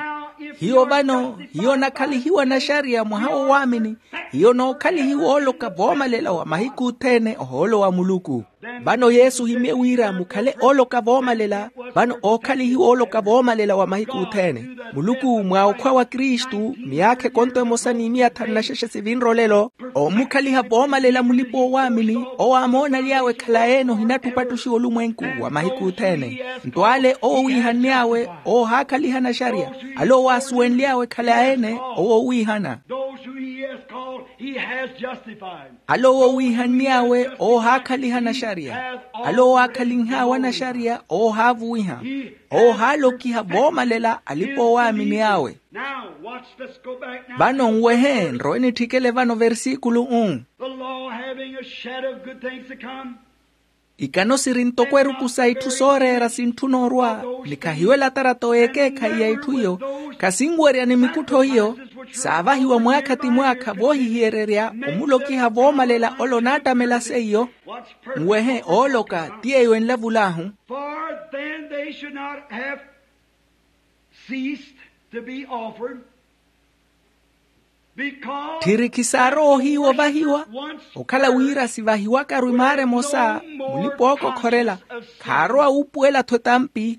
Hiyo vano hiyo onakhalihiwa naxariya mwaha w'owaamini. Hiyo onookhalihiwa ooloka voomalela wa mahiku othene ohoolo wa muluku. Vano yesu ohimye wira mukhale ooloka voomalela. Vano ookhalihiwa ooloka voomalela wa mahiku othene. Muluku mwa okhwa wa kristu miyaakha ekonto emosa ni miya thanu na xexe sivinre olelo, oomukhaliha voomalela mulipa-oowaamini. Owo amoonany'awe khalayi-ene ohinattupattuxiwa olumwenku wa mahiku othene. Nto ale owo owiihanny'awe owo ohaakhaliha naxariya. Ale owo aasuwenly'awe khalayi-ene owo owiihana. Ale owo owiihanny'awe owo ohaakhaliha naxariya. Ale owo aakhalinh'awe anaxariya owo ohaavuwiha. Owo ohaalokiha voomalela alipa-oowaamini awe. Vano nwehe nrowe nitthikele vano versikulu. Ikano siri ntoko eruku sa itthu sooreera sintthuna orwa, ni khahiwela tarato y'ekeekhayi ya itthu iyo, khasinwerya ni mikuttho iyo. Saavahiwa mwaakha ti mwaakha voohihiyererya omulokiha voomalela ole onaattamela seiyo. Nwehe ooloka ti eyo enlavul'ahu. Tthiri khisaarowa ohiiwa ovahiwa. Okhala wira sivahiwakaru imaara emosa, mulipa-ookokhorela khaarowa wuupuwela-tho etampi.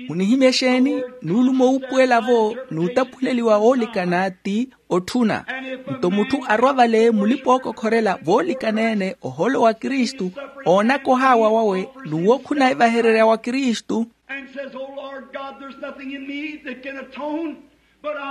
Munihimya exeeni? Nuulumo wuupuwela-vo n'utaphuleliwa woolikana ti otthuna. Nto mutthu arwa vale mulipa-ookokhorela voolikana-ene ohoolo wa kristu, oonaka ohaawa wawe n'uwo khunahivahererya wa kristu.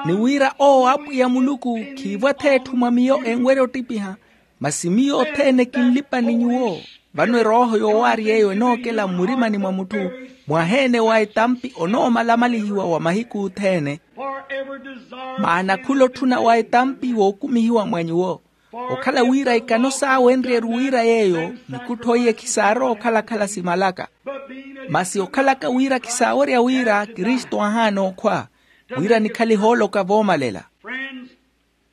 Ni wira owo apwiya muluku khiivwa-tho etthu mwa miyo enwerya ottipiha. Masi miyo othene kinlipa ni nyuwo. Vano erooho yoowaari yeeyo enookela mmurimani mwa mutthu, mwaha-ene wa etampi onoomalamalihiwa wa mahiku othene. Maana khula otthuna wa etampi wookumihiwa mwa nyuwo. Okhala wira ikano saawenrye-ru wira yeeyo, nikuttho iye khisaarowa okhala-khala simalaka. Masi okhalaka wira khisaawerya wira kristu ahaana okhwa, Wira nikhalihe oloka voomalela.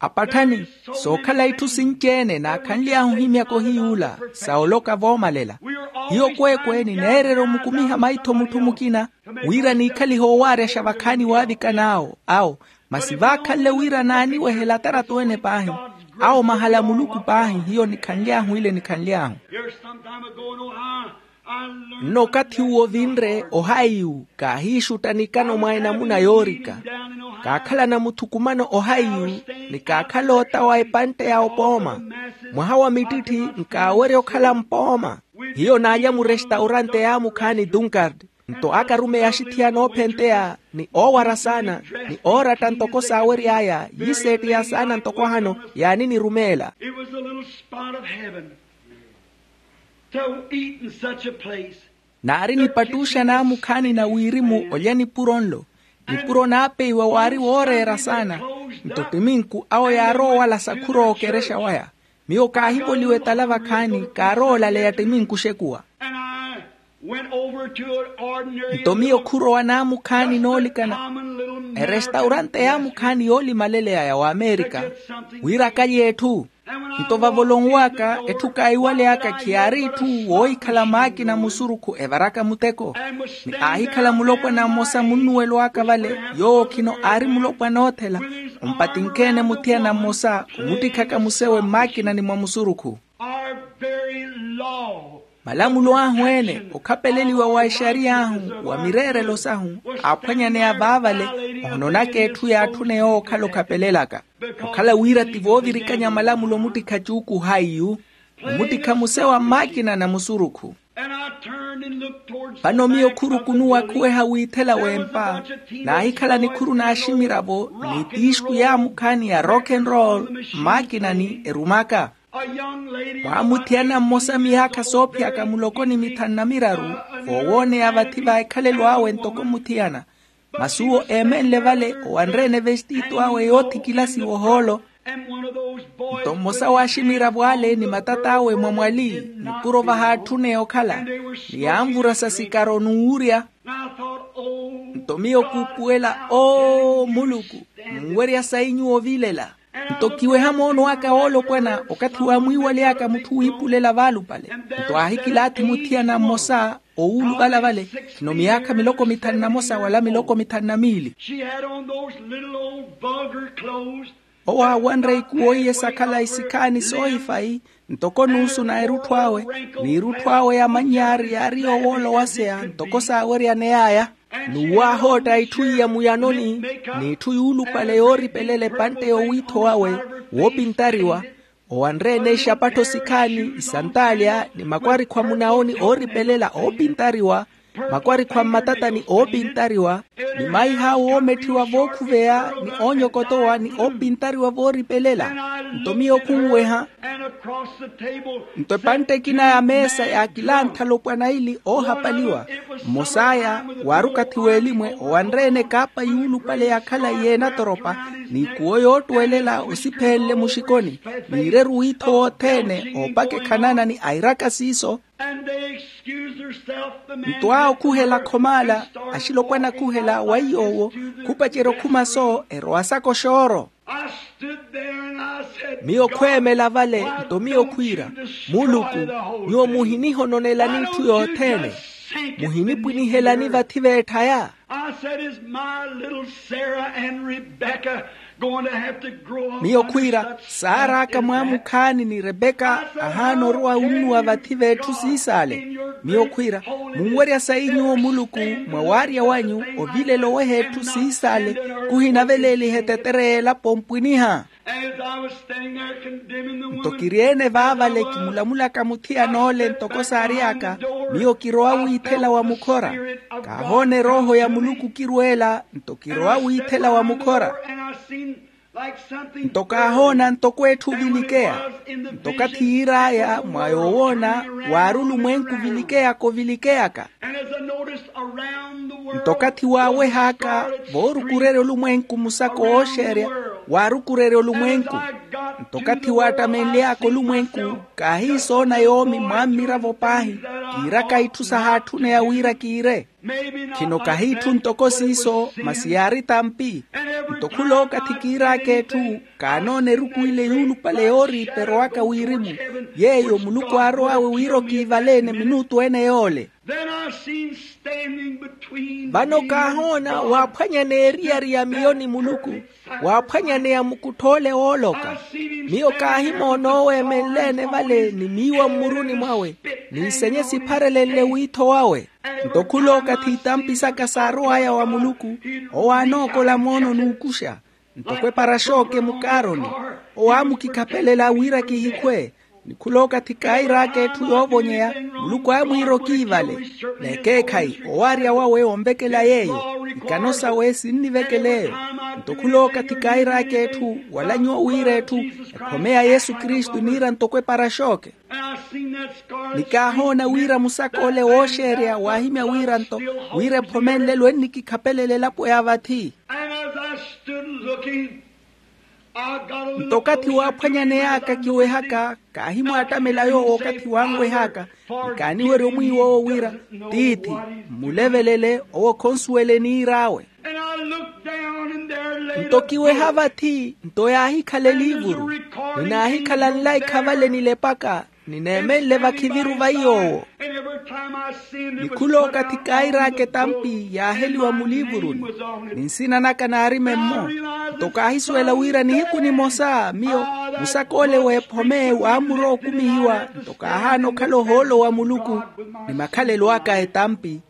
Apatthani, sookhala itthu sinci-ene naakhanly'ahu ohimyaka ohiy'ula sa oloka voomalela. Hiyo kweekwe nineererya omukumiha maitho mutthu mukina, wira niikhalihe owaaryaxa vakhaani waavikan'awo awo. Masi vaakhanle wira naaniwehela ataratu-ene paahi, awo mahala a muluku paahi hiyo nikhanly'ahu ile nikhanly'ahu. Nno okathi uwo ovinre ohaiyu kaahiixutta nikano mwa enamuna yoorika. Kaakhalana muthukumano ohaiyu, ni kaakhala ota wa epantte ya opooma. Mwaha wa mittitthi nkaawerya okhala mpooma. Hiyo naalya murestaurante yaamukhaani dunkard. Nto akarumeya axithiyana oophenteya, ni oowara saana, ni ooratta ntoko saawery'aya yiiseettiya saana ntoko ahano yaaninirumeela. It was a little spot of heaven to eat in such a place. Naari nipattuxa naamukhaani na wirimu olya nipuro nlo. Nipuro naapeiwa waari wooreera saana. Nto ttiminku awo yaarowa owalasa khurookerexa waya. Miyo kaahivoliwa etala vakhaani, kaarowa olaleya ttiminku oxekuwa. And I went over to an ordinary nto miyo khurowa naamukhaani noolikana erestaurante yaamukhaani yoolimaleleya ya waamerika, wira akalye etthu. Nto vavo olonw'aka etthu kaahiwaleyaka khiyaari itthu woohikhala maakina musurukhu evaraka muteko. Ni aahikhala mulopwana mmosa munnuwelo aka vale, yoowo khino aari mulopwana oothela, ompatinkhe-ene muthiyana mmosa omuttikhaka musewe mmakinani mwa musurukhu. Our very law. Malamulo ahu ene okhapeleliwa wa exariya ahu wa mireerelo sahu, aaphwanyaneya vaavale ohononaka etthu yaatthune yookhala okhapelelaka. Okhala wira ti voovirikanya malamulo omuttikha cuuku haiyu, omuttikha musewa mmakinani a musurukhu. Vano miyo khurukunuwa khuweha wiithela w'empa, naahikhala nikhuru n'aximiravo ni tiixku yaamukhaani ya rock and roll, mmakinani erumaka. Mwaamuthiyana mmosa miyaakha soophiyaka muloko ni mithanu na miraru, voowooneya vathi va ekhalelo awe ntoko muthiyana. Masi uwo eemenle vale owanre-ene vestitu awe yoothikilasiwa ohoolo. Nto mmosa w'aximiravo ale ni matat'awe mwamwali, nipuro vahaatthune okhala, ni yaanvurasa sikaro n'uwurya. Nto miyo kuupuwela, oo muluku, munwerya sayi nyuwo ovilela. Nto kiweha moono aka woolopwana okathi waamwiiwaly'aka mutthu wiipulela vaalupale. Nto aahikilaathi muthiyana mmosa owuuluvala vale, khino miyaakha miloko mithanu na mosa wala miloko mithanu na miili. She had on those little old vulgar clothes. Owo aawanre ikuwo iye sakhala isikhaani soohifayi, ntoko nuusu na erutthu awe, n'irutthu awe ya mannyaari yaari yoowoolowaseya ntoko saaweryaney'aya. N'uwo aahootta itthu iya muyanoni, n'itthu yuulupale yooripelela epantte y'owiitho wawe woopintariwa. Owanre-ene ixapattho sikhaani, isantaalya ni makwarikhwa munaoni ooripelela oopintariwa, makwarikhwa mmatatani oopintariwa, ni maiha awo oometthiwa vookhuveya ni oonyokotowa ni oopintariwa vooripelela. Nto miyo khunweha. Nto epantte ekina ya meesa yaakilantha alopwana aili oohapaliwa. Mmos'aya waari okathi w'elimwe owanre-ene kaapa yuulupale yakhala iy'enatoropa, n'ikuwo yoottwelela osiphenle muxikoni, n'ireru wiitho wothene oopaka ekhanana ni airaka siiso. Nto awo khuhela khomaala, axilopwana khuhela wa iy'owo, khupacerya okhuma soo erowa saka oxooro. Miyo khweemela vale, nto miyo khwiira, muluku, nyuwo muhinihononelani itthu yothene, muhinipwinihelani vathi v'etthaya. Miyo khwiira, saar'aka mwaamukhaani ni repeka ahaana orowa onnuwa vathi v'etthu siisaale. Miyo khwiira, munwerya sayi nyuwo muluku, mwa waarya wanyu ovilela oweha etthu siisaale, khuhinaveleeliha etetere y'elapo ompwiniha. Nto kiri-ene vaavale kimulamulaka muthiyan'ole ntoko saary'aka, miyo kirowa wiithela wa mukhora. Kaahoona erooho ya muluku kirweela, nto kirowa wiithela wa mukhora. Nto kaahoona ntoko etthu ovilikeya. Nto okathi yiir'aya mwa yoowoona, waari olumwenku ovilikeyaka ovilikeyaka. Nto okathi waaweh'aka, voorukurerya olumwenku musaka ooxeerya, waarukurerya olumwenku. Nto okathi waattamenly'aka olumwenku, kaahiisoona yoomi mwaammiravo paahi, Kiiraka itthu sahaatthune ya wira kiire. Khino kahiitthu ntoko siiso, masi yaari tampi. Nto khulookathi kiiraka etthu, kaanoona eruku ile yuulupale yooriiperowaka wirimu, yeeyo muluku aarow'awe wira okiivaleene minutu ene yoole. Then I seen standing between vano me and kaahoona God, waaphwanyaneya eriyari ya miyo ni muluku, waaphwanyaneya mukutthoole wooloka. Miyo kaahimoona owo eemenleene vale ni miiwa mmuruni mwawe, niisenye sipharelenle wiitho wawe. Nto khulookathi itampi saka saarow'aya wa muluku, owo aanookola moono n'ukuxa. Ntoko eparaxooke mukaaroni, owo aamukikhapelela wira kihikhwe. Ni khulookathi kairaka etthu yoovonyeya, muluku aamwiira okiivale. N'ekeekhayi owaarya wawe onvekela yeeyo, ikano sawe sinnivekela eyo. Nto khulookathi kairaka etthu wala nyuwo wira etthu, ephome ya yesu kristu iniira ntoko eparaxooke. Ni kaahoona wira musaka ole wooxeerya waahimya wira nto, wira ephome nlelo ennikikhapelela elapo ya vathi. And as I stood looking, I got a little nto okathi closer to waaphwanyaneyaka him than kiwehaka, kaahimwaattamela yoowo okathi wanwehaka. Ni kaaniwerya omwiiwa owo wira, tiithi, mmulevelele, owo khonsuwele eniir'awe. And I looked down and there lay nto kiweha vathi nto yaahikhala eliivuru. Ni naahikhala nlaikha vale nilepaka, ni neemenle vakhiviru va iy'owo. Ni khulookathi kairaka etampi yaaheliwa muliivuruni, ni nsina naka naari memmo. Nto kaahisuwela wira nihiku nimosa miyo, musaka ole w'ephome waamurowa okumihiwa. Nto kaahaana okhala ohoolo wa muluku, ni makhalelo aka a etampi.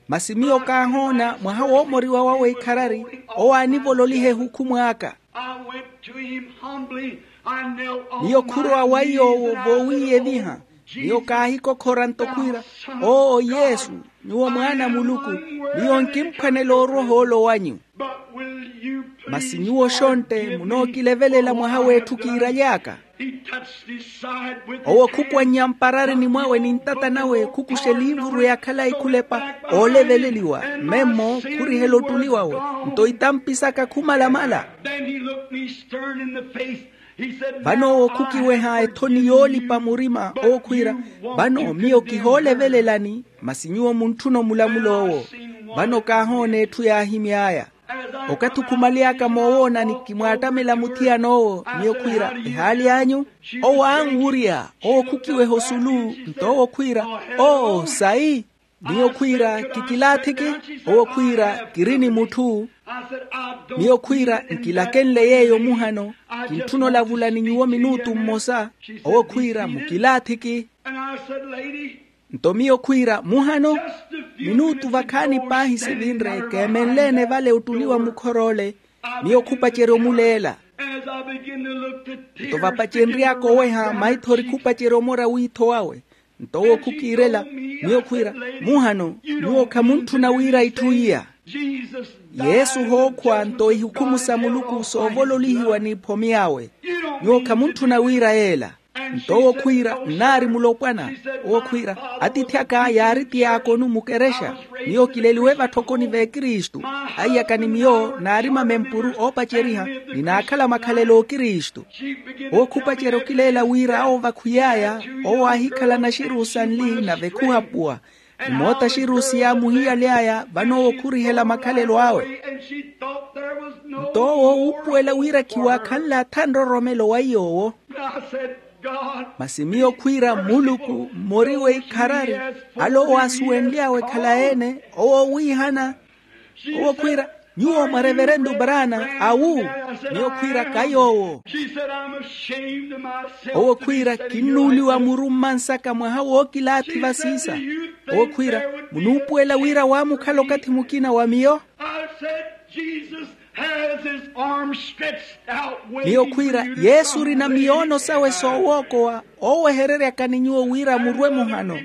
Masi miyo kaahoona mwaha woomoriwa wawe ikharari, owo aanivololiha ehukhumu aka. I went to him humbly. I knelt on miyo khurowa wa iy'owo voowiiyeviha. Miyo kaahikokhora nto khwiira, oo yesu, nyuwo mwaana a muluku, miyo nkimphwanela orwa ohoolo wanyu. Masi nyuwo xontte munookilevelela mwaha w'etthu kiiraly'aka. Owo khukwannya mpararini mwawe ni ntata nawe khukuxa eliivuru ya khalayi khulepa, ooleveleliwa, memmo khurihela ottuli wawe. Nto itampi saka khumalamala. Vano owo khukiweha ethoni yoolipa murima owo khwiira, vano miyo kihoolevelelani. Masi nyuwo muntthuna omulamul'owo. Vano kaahoona etthu yaahimy'aya. Okathi okhumaly'aka moowoonani kimwaattamela muthiyan'owo, miyo khwiira, ehaali anyu? Owo aanwurya, owo khukiweha osulu. Nto owo khwiira, oo sayi. Miyo khwiira, kikilaathiki. Owo khwiira, kiri ni mutthu. Miyo khwiira, nkilakenle yeeyo muhano. Kintthuna olavula ni nyuwo minuutu mmosa. Owo khwiira, mukilaathiki. Nto miyo khwiira, muhano. Minuutu vakhaani paahi sivinre keemenleene vale ottuli wa mukhor'ole. Miyo khupacerya omuleela. Nto vapacenry'aka oweha maithori khupacerya omora wiitho wawe. Nto owo khukiirela. Miyo khwiira, muhano, nyuwo khamuntthuna wira itthu iya. Yesu hookhwa nto ihukhumu sa muluku soovololihiwa n'iphomi awe. Nyuwo khamuntthuna wira yeela. Nto owo khwiira, nnaari mulopwana. Owo khwiira, atiithi aka yaari tiyaakoni mukerexa. Miyo kileliwe vatthokoni v'ekristu. Aiyaka ni miyo naari mamempuru oopaceriha, ni naakhala makhalelo a okristu. Owo khupacerya okileela wira awo vakhwiy'aya. Owo aahikhala naxiru sanli nave khuhapuwa. Ni moota axiru siyaamuhiyaly'aya vano owo khurihela makhalelo awe. Nto owo uupuwela wira khiwaakhanle atha nroromelo wa iy'owo. Masi miyo khwiira muluku mmoriwe ikharari. Ale owo aasuwenly'awe khalayi-ene. Owo owiihana. Owo khwiira, nyuwo mwa reverentu braana awu? Miyo khwiira ka yoowo. Owo khwiira kinnuuliwa muru mmansaka mwaha wookilaathi vasiisa. Owo khwiira, munuupuwela wira waamukhala okathi mukina wa miyo? Miyo khwiira, yesu orina miyoono sawe soowookowa, oowehereryaka ni nyuwo wira murwe muhano.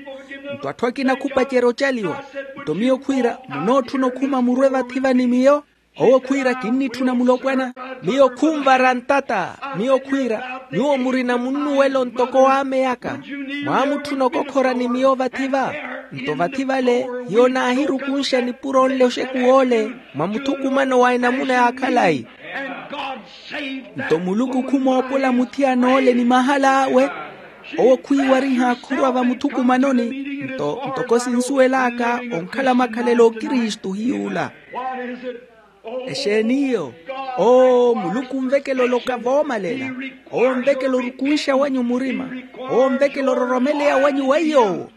Nto atthu akina khupacerya ocaliwa. Nto miyo khwiira, munootthuna okhuma murwe vathi-va ni miyo? Owo khwiira, kinnitthuna mulopwana. Miyo khunvara ntata. Miyo khwiira, nyuwo murina munnuwelo ntoko w'ameyaka. Mwaamutthuna okokhora ni miyo vathi-va? Nto vathi vale, hiyo naahirukunxa nipuro nle oxekuw'ole mwa muthukumano wa enamuna ya khalayi. Nto muluku khumoopola muthiyan'ole ni mahal'awe. Owo khwiiwariha khurwa vamuthukumanoni. Nto ntoko sinsuwel'aka onkhala makhalelo okristu hiy'ula. Exeen'iyo? Oo muluku onvekela oloka voomalela. Oo onvekela orukunxa wanyu murima. Oo onvekela ororomeleya wanyu weiy'owo.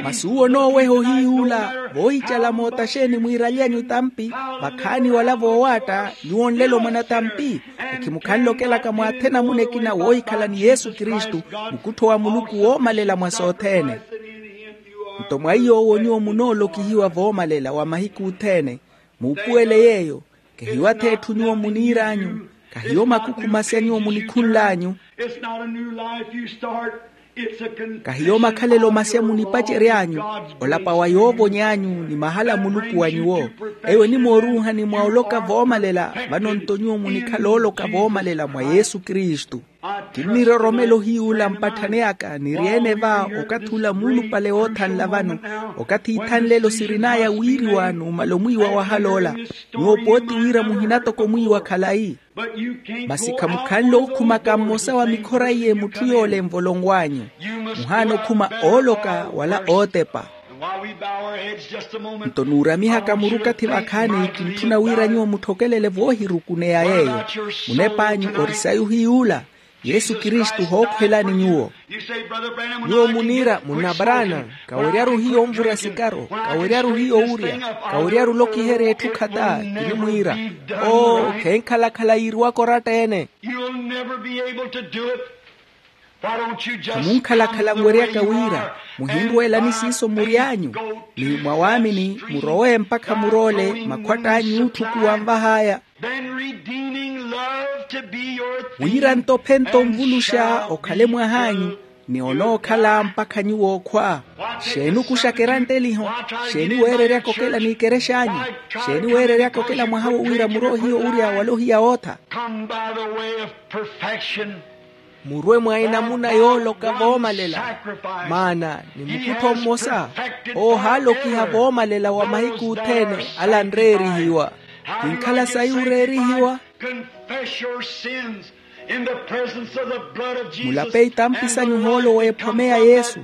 Masi uwo onooweha ohiy'ula voohicala moota xeeni mwiiralyanyu tampi, vakhaani wala voowaatta nyuwo nlelo mwana tampi. Ekhimukhanle okelaka mwa athena muna ekina woohikhala ni yesu kristu, mukuttho wa muluku woomalela mwa sothene. Nto mwa iy'owo nyuwo munoolokihiwa voomalela wa mahiku othene. Muupuwele yeeyo. Kehiyo ath'etthu nyuwo muniir'anyu. Kahiyo makukhu masya nyuwo munikhunl'anyu. Kahiyo makhalelo masya munipacery'anyu. Olapa wa yoovony'anyu ni mahala a muluku wa nyuwo. Eyo enimooruuhani mwa oloka voomalela vano nto nyuwo munikhala ooloka voomalela mwa yesu kristu. Kinniroromela ohiy'ula mpatthani aka niri-ene va okathi ula muulupale woothanla vano. Okathi ithanlelo sirin'aya wiiriwa numala omwiiwa wahal'ola. Nyuwo pooti wira muhina toko mwiiwa khalayi. Masi khamukhanle okhumaka mmosa wa mikhora iye mutthu yoole envolonw'anyu. Muhaana okhuma ooloka wala ootepa. Nto nuuramihaka muru okathi vakhaani kintthuna wira nyuwo mutthokelele voohirukuneya yeeyo. Munep'anyu ori sayi ohiy'ula. Yesu kristu hookhwelani nyuwo. Nyuwo muniira munna brana, kaweryaru hiyo onvura sikaro, kaweryaru hiyo owurya, kaweryaru olokiherya etthu khata. Kinimwiira, oo khenkhalakhala yiiriwaka oratta-ene. Khamunkhalakhala nweryaka wira muhinrweelani siiso mury'anyu, ni mwa waamini murowe mpakha muroole makhwatt'anyu ootthukuwa anvah'aya. Wira nto ophenta onvuluxa okhale mwah'anyu, ni onookhala mpakha nyuwo okhwa. Xeeni okuxaka erantteliho? Xeeni weereryaka okela n'ikerex'anyu? Xeeni weereryaka okela mwaha wo wira muroohiya owurya wala ohiya wootha? Murwe mwa enamuna yooloka voomalela. Maana ni mukuttho mmosa oohaalokiha voomalela wa mahiku othene ala anreerihiwa. Kinkhala sayi oreerihiwa. Mulape itampi sanyu ohoolo w'ephome ya yesu.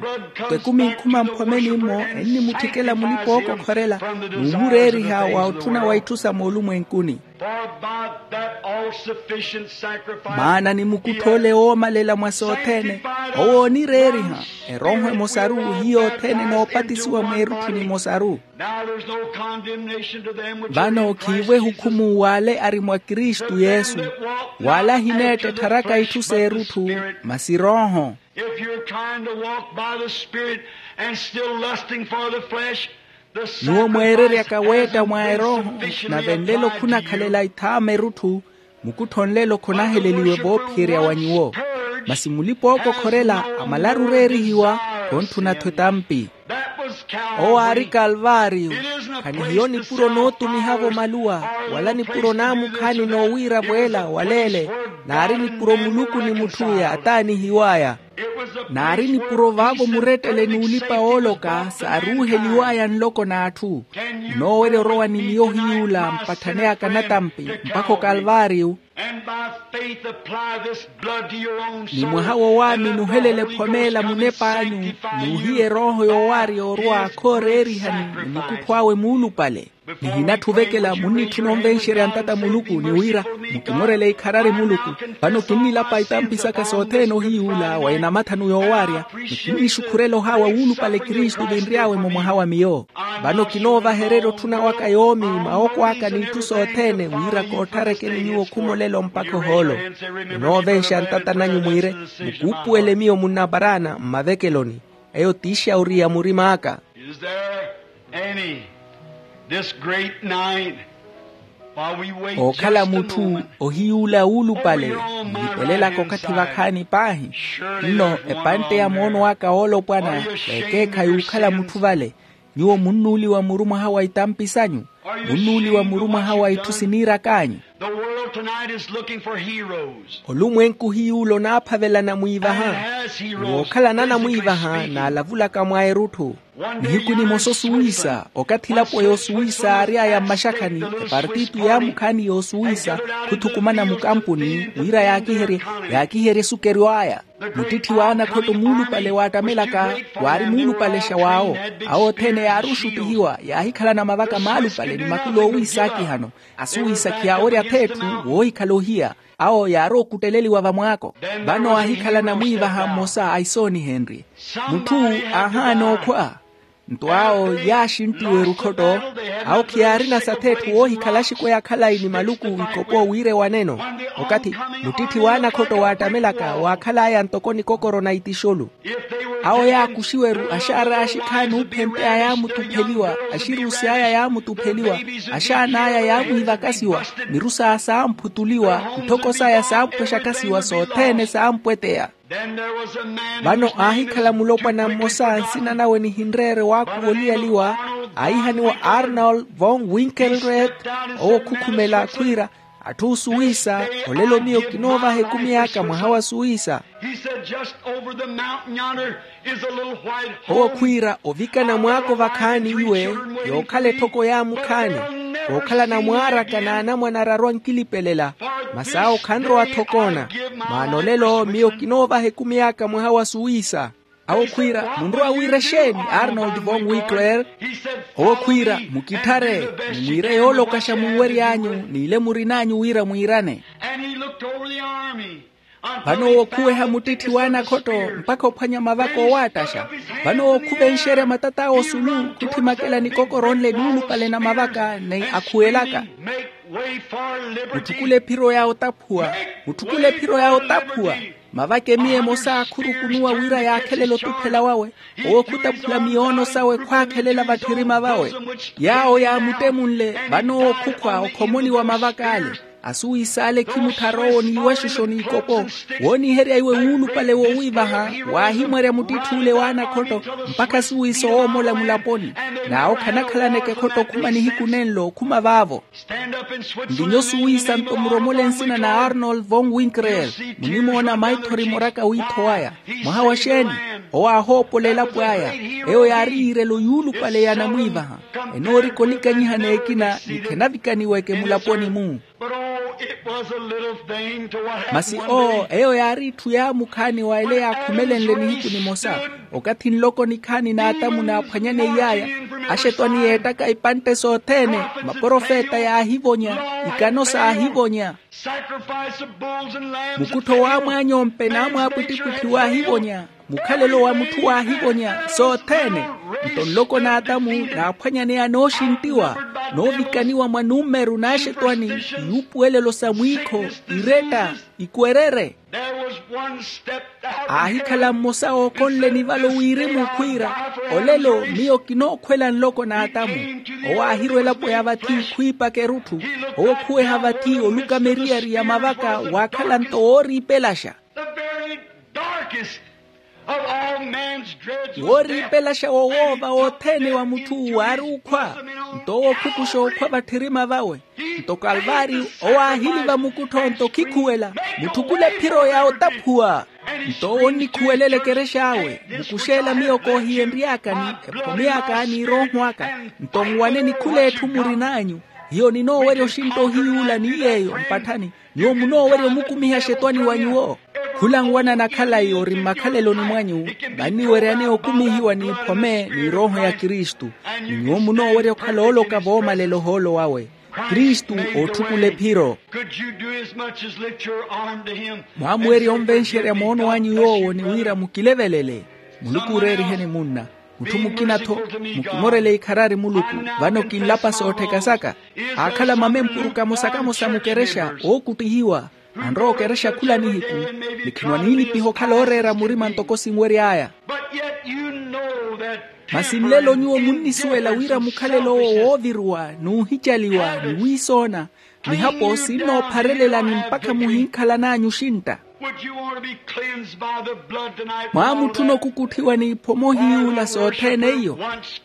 Twe kuminkhuma mphome nimmo ennimutthikela mulipa ookokhorela, n'umureeriha wa otthuna wa itthu sa moolumwenkuni. Maana ni mukuttho ole woomalela mwa sothene, owo oonireeriha erooho emosaru hiyo othene enoopatisiwa mweerutthu nimosaru. Vano khiivo ehukhumu w'ale ari mwa kristu yesu, w'ale ahineetta ettharaka itthu s'erutthu, masi rooho. If you're trying to walk by the Spirit and still lusting for the flesh, the nyuwo mweereryaka weetta mwa erooho, nave nlelo khunakhalela ithaama erutthu, mukuttho nlelo khonaheleliwe voophiyerya wa nyuwo. Masi mulipa ookokhorela amalaru oreerihiwa, khontthuna-tho etampi. Owo aari kalvaariyo. Khanihiyo nipuro nootumiha-vo maluwa, wala nipuro naamukhaani noowiira-vo ela wala ele. Naari nipuro muluku ni mutthu yaataanihiw'aya. Naari nipuro vaavo murettele n'ulipa wooloka saaruuheliw'aya nloko n'atthu. Munoowerya orowa ni miyo hiy'ula mpatthani aka natampi mpakha okalvaariyo. Ni mwaha wowaamini ohelele ephome ela munep'anyu, n'uhiya erooho yoowaarya orwa khooreerihani ni mukuttho awe muulupale. Nihinatthu ovekela munnitthuna onvenxerya ntata muluku ni wira, mukimorele ikharari muluku. Vano kinnilapa itampi saka sothene ohiy'ula wa enamathanu yoowaarya, ni kinnixukhurela ohaawa wuulupale kristu vinry'awe-mo mwaha wa miyo. Vano kinoovahererya otthuna waka yoomi maoko aka n'itthu sothene wira kootharekeni nyuwo khumolelo mpakha ohoolo. Munoovenxa ntata nanyu mwiire, mukuupuwele miyo munnaparana mmavekeloni. Eyo t'ixauri ya murim'aka. Is there any this great night? Ookhala mutthu ohiy'ula wuulupale, nilipelelaka okathi vakhaani paahi. Nno epantte ya moono aka woolopwana, ekeekha y'ukhala mutthu vale. Nyuwo munnuuliwa muru mwaha wa itampi sanyu? Munnuuliwa muru mwaha wa itthu siniirak'anyu? Olumwenku hiy'ula onaaphavelana mwiivaha. Ni wookhalana anamwiivaha naalavulaka mwa erutthu. Nihiku nimosa osuwisa, okathi elapo yoosuwisa aary'aya mmaxakhani, epartitu yaamukhaani yoosuwisa khuthukumana mukampuni wira yaakiherye, yaakiherye esukeryo aya. Muttitthiwa anakhotto muulupale waattamelaka waari muulupalexa waawo. Awo othene yaari oxuttihiwa yaahikhalana mavaka maalupale ni makulu oowiisaakihano. Asuwiisakhiya ori atheetthu woohikhala ohiya. Awo yaari okutteleliwa vamwaako. Vano aahikhalana mwiivaha mmosa aisoonihenrye. Mutthu aahaana okhwa. Nto awo yaaxinttiwa erukhotto. Awo khiyaarina satheetthu woohikhala axikweya khalayi ni maluku ikopo wira ewaneno. Okathi muttitthi w'anakhotto waattamelaka waakhal'aya ntoko nikokoro na itixulu. Awo yaakuxiwa-ru axaar'aya axikhaani oophempeya yaamutupheliwa. Axiruusi aya yaamutupheliwa. Axaana aya yaamwiivakasiwa. Miru saya saamphutuliwa. Nthoko saya saampwexakasiwa sothene saampweteya. Vano aahikhala mulopwana mmosa nsina nawe nihinreere waakhuwa oliyaliwa. Aahihaniwa arnold von winkelred. Owo khukhumela khwiira, atthu osuwiisa, olelo miyo kinoovaha ekumi aka mwaha wa suwiisa. Owo khwiira ovikana mwaako vakhaani iwe, yookhala etthoko yaamu khaani. Kookhalana mwaaraka n'anamwane ararwa nkilipelela. Masi awo khanrowa-tho koona. Maana olelo miyo kinoovaha ekumi aka mwaha wa suwiisa. Awo khwiira munrowa wiira exeeni arnold von winkler? Owo khwiira mukitthare, mumwiire yoolokaxa munwery'anyu, n'ile murin'anyu wira mwiirane. Vano owo khuweha muttitthiwa anakhotto mpakha ophwanya mavaka owaattaxa. Vano owo khuvenxerya matat'awe osulu, khutthimakela nikokoro nle nuulupale na mavaka ni akhuwelaka. Mutthukule ephiro ya otaphuwa. Mutthukule ephiro ya otaphuwa. Mavaka emiya emosa khurukunuwa wira yaakhelele otuphela wawe. Owo khutaphula miyoono sawe khwaakhelela vatthirima vawe. Yaawo yaamuttemunle vano owo khukhwa okhomoni wa mavak'ale. Asuwiis'ale khimutthara owo n'iwaxuxo n'ikopo. Wooniherya iwe wuulupale wowiivaha. Waahimwerya muttitthiule w'anakhotto mpakha asuwiisa owoomola mulaponi. N'awo khanakhalaneke ekhotto okhuma nihiku nenlo okhuma vaavo. Nvinyo suwiisa nto muromole nsina na arnold von winkrel. Munimoona maithori moraka wiitho waya. Mwaha wa xeeni? Owo aahoopola elapo aya. Eyo yaari yiirelo yuulupale ya anamwiivaha. Enoorika olikanyihana ekina ni khenavikaniweke mulaponi-mu. Masi oo eyo yaari itthu yaamukhaani wa ele yaakhumelenle nihiku nimosa. Okathi nloko nikhaani n'atamu naaphwanyane iyaaya, axetwani yeettaka ipantte sothene. Maprofeta yaahivonya, ikano saahivonya. Mukuttho w'amwaanyompe n'amwaapwittipwitthi waahivonya. Mukhalelo wa mutthu waahivonya sothene. Nto nloko n'atamu naaphwanyaneya nooxinttiwa, noovikaniwa mwa numeru n'axetwani, iyuupuwelelo sa mwiikho, iretta, ikwerere. Aahikhala mmosa ookhonle nivalo wirimu khwiira, olelo miyo kinookhwela nloko n'atamu. Owo aahirwa elapo ya vathi khwiipaka erutthu. Owo khuweha vathi oluka meriyari ya mavaka waakhala nto wooriipelaxa. Wooriipelaxa wowoova wothene wa mutthu waari okhwa. Nto owo khukuxa okhwa vatthirima vawe. Nto kalvaari owo aahiliva mukuttho nto khikhuwela, mutthukule ephiro ya otaphuwa. Nto owo onnikhuwelela ekerex'awe, mukux'ela miyo koohiyenry'akani, ephome aka n'irooho aka. Nto nwaneni khul'etthu murin'anyu. Hiyo ninoowerya oxintta ohiyuula ni yeeyo mpatthani. Nyuwo munoowerya omukumiha axetwani wa nyuwo. Khula nwanana khalayi ori mmakhaleloni mwanyu, vanniweryaneya okumihiwa n'iphome n'irooho ya kristu. Ni nyuwo munoowerya okhala ooloka voomalela ohoolo wawe. Kristu ootthukula ephiro. Mwaamuwerya onvenxerya moono wanyu yoowo ni wira mukilevelele. Muluku ooreeriheni munna. Mutthu mukina-tho, mukimorele ikharari muluku. Vano kinlapa soottheka saka. Aakhala mamempuru kamosa-kamosa mukerexa ookuttihiwa. Anrowa okerexa khula nihiku. Ni khinwa niilipiha okhala ooreera murima ntoko sinwery'aya. Masi nlelo nyuwo munnisuwela wira mukhalelo owo wooviruwa n'uhicaliwa ni wiisoona. Mihapo sinnoopharelelani mpakha muhinkhalan'anyu oxintta. Mwaamutthuna okukutthiwa n'iphoma ohiyuula sothene iyo.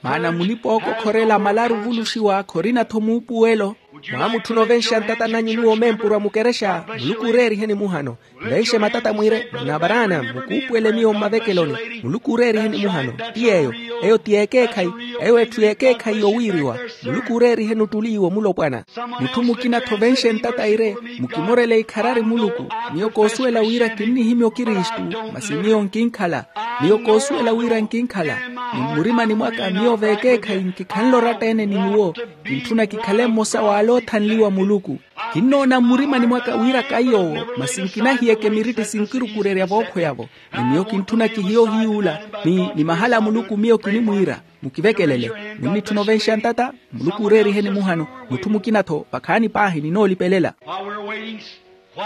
Maana mulipa ookokhorela amalaru ovuluxiwa khorina-tho muupuwelo. Mwaamutthuna ovenxa ntata nanyu nyuwo mempuruwa mukerexa. Muluku ooreeriheni muhano. Nvenxe matata mwiire, nabaraana mukuupuwele miyo mmavekeloni. Muluku ooreeriheni muhano. Ti yeeyo. Eyo ti yeekeekhayi. Eyo etthu yeekeekhayi yowiiriwa. Muluku ooreeriheni ottuli iwo mulopwana. Mutthu mukina-tho ovenxe ntata iire, mukimorele ikharari muluku. Miyo koosuwela wira kinnihimya okristu, masi miyo nkinkhala. Miyo koosuwela wira nkinkhala. Ni mmurimani mwaka miyo veekeekhayi nkikhanle oratta-ene ni nyuwo. Kintthuna kikhale mmosa w'ale oothanliwa muluku. Kinnoona mmurimani mwaka wira kaiy'owo, masi nkinahiyeke miritti sinkirukurerya vookhweya-vo. Ni miyo kintthuna kihiye ohiyuula, ni mahala a muluku miyo kinimwiira. Mukivekelele. Munnitthuna ovenxa ntata. Muluku ooreeriheni muhano. Mutthu mukina-tho vakhaani paahi ninoolipelela.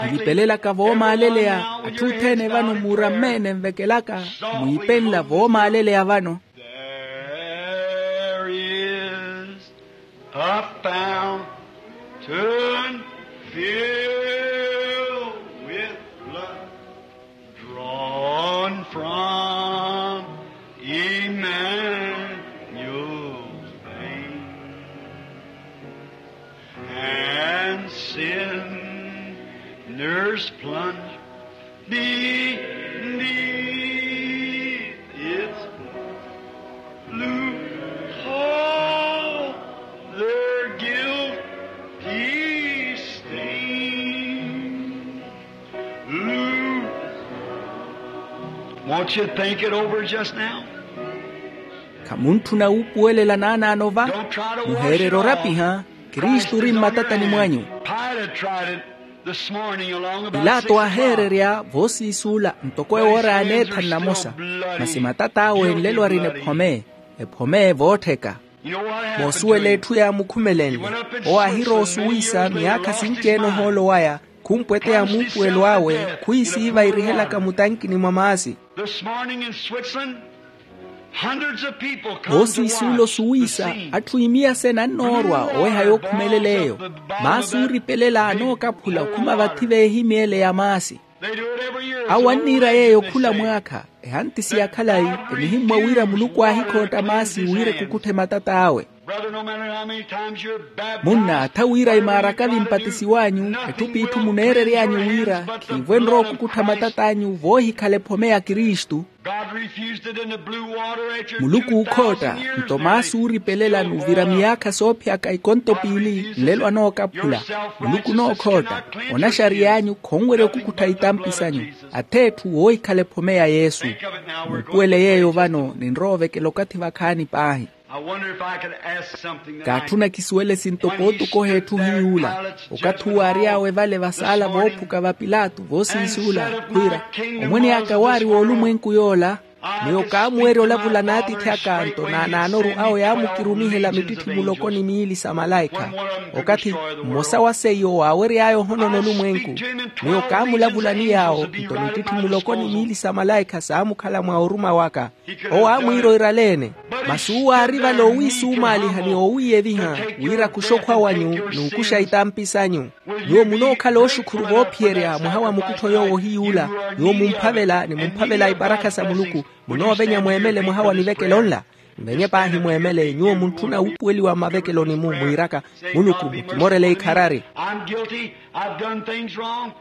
Nilipelelaka voomaaleleya. Atthu othene vano muuramme-ene nvekelaka, mwiipenla voomaaleleya vano. There is a fountain filled with blood, drawn from Emmanuel's veins, and sinners plunge beneath its loop, all their guilty stains. Loop. Won't you think it over just now? Khamuntthuna wuupuwelela naanaano va. Muheererye orapiha. Kristu ori mmatatani mwanyu. Pilaato aaheererya voosiisuula ntoko ewoora yaaneetha nnamosa, masi matat'awe nlelo arina ephome, ephome voottheka. Moosuwela etthu yaamukhumelenle. Owo aahirowa osuwisa miyaakha sinci-ene ohoolo waya, khumpweteya muupuwelo awe, khwiisiiva irihelaka mutankini mwa maasi. Voosiisuula osuwisa, atthu imiyasene annoorwa oweha yookhumelela eyo. Maasi ooripelela anookaphula okhuma vathi veehimyeele ya maasi. Awo anniira yeeyo khula mwaakha. Ehantisi ya khalayi, enihimmwa wira muluku aahikhootta maasi wira ekukutthe matat'awe. Munna, atha wira imaaraka vimpatisiw'anyu, etthu p'itthu muneerery'anyu wira khiivo enrowa okukuttha matat'anyu voohikhala ephome ya kristu. Muluku ookhootta. Nto maasi ooripelela n'uvira miyaakha soophiyaka ikonto piili nlelo anookaphula. Muluku onookhootta. Onaxariy'anyu khonwerya okukuttha itampi s'anyu, ath'etthu woohikhala ephome ya yesu. Muupuwele yeeyo vano ninrowa ovekela okathi vakhaani paahi. Kaatthuna kisuwele sinto pootukoha etthu hiy'ula. Okathi uwo aary'awe vale vasaala voophuka va pilato voosiisuula, khwiira, omwene aka waari w'olumwenku yoola. Miyo kaamuwerya olavula n'atiithi aka nto naanaanoru awo yaamukirumihela mittitthimulo koni miili sa malaikha. Okathi mmosa wa seiyo waawery'aya ohonona olumwenku, miyo kaamulavula ni yaawo nto mittitthimulo koni miili sa malaikha saamukhala mwa oruma waka. Owo aamwiira oirale-ene. Masi uwo aari vale owiisumaaliha ni oowiiyeviha wira akuxe okhwa wanyu n'ukuxa itampi s'anyu. Nyuwo munookhala ooxukhuru voophiyerya mwaha wa mukuttho yoowo ohiy'ula. Nyuwo mumphavela ni mumphavela iparakha sa muluku. Munoovenya mweemele mwaha wa nivekelo nla. Nvenye paahi mweemele nyuwo muntthuna wuupuweliwa mmavekeloni-mu mwiiraka, muluku mukimorele ikharari.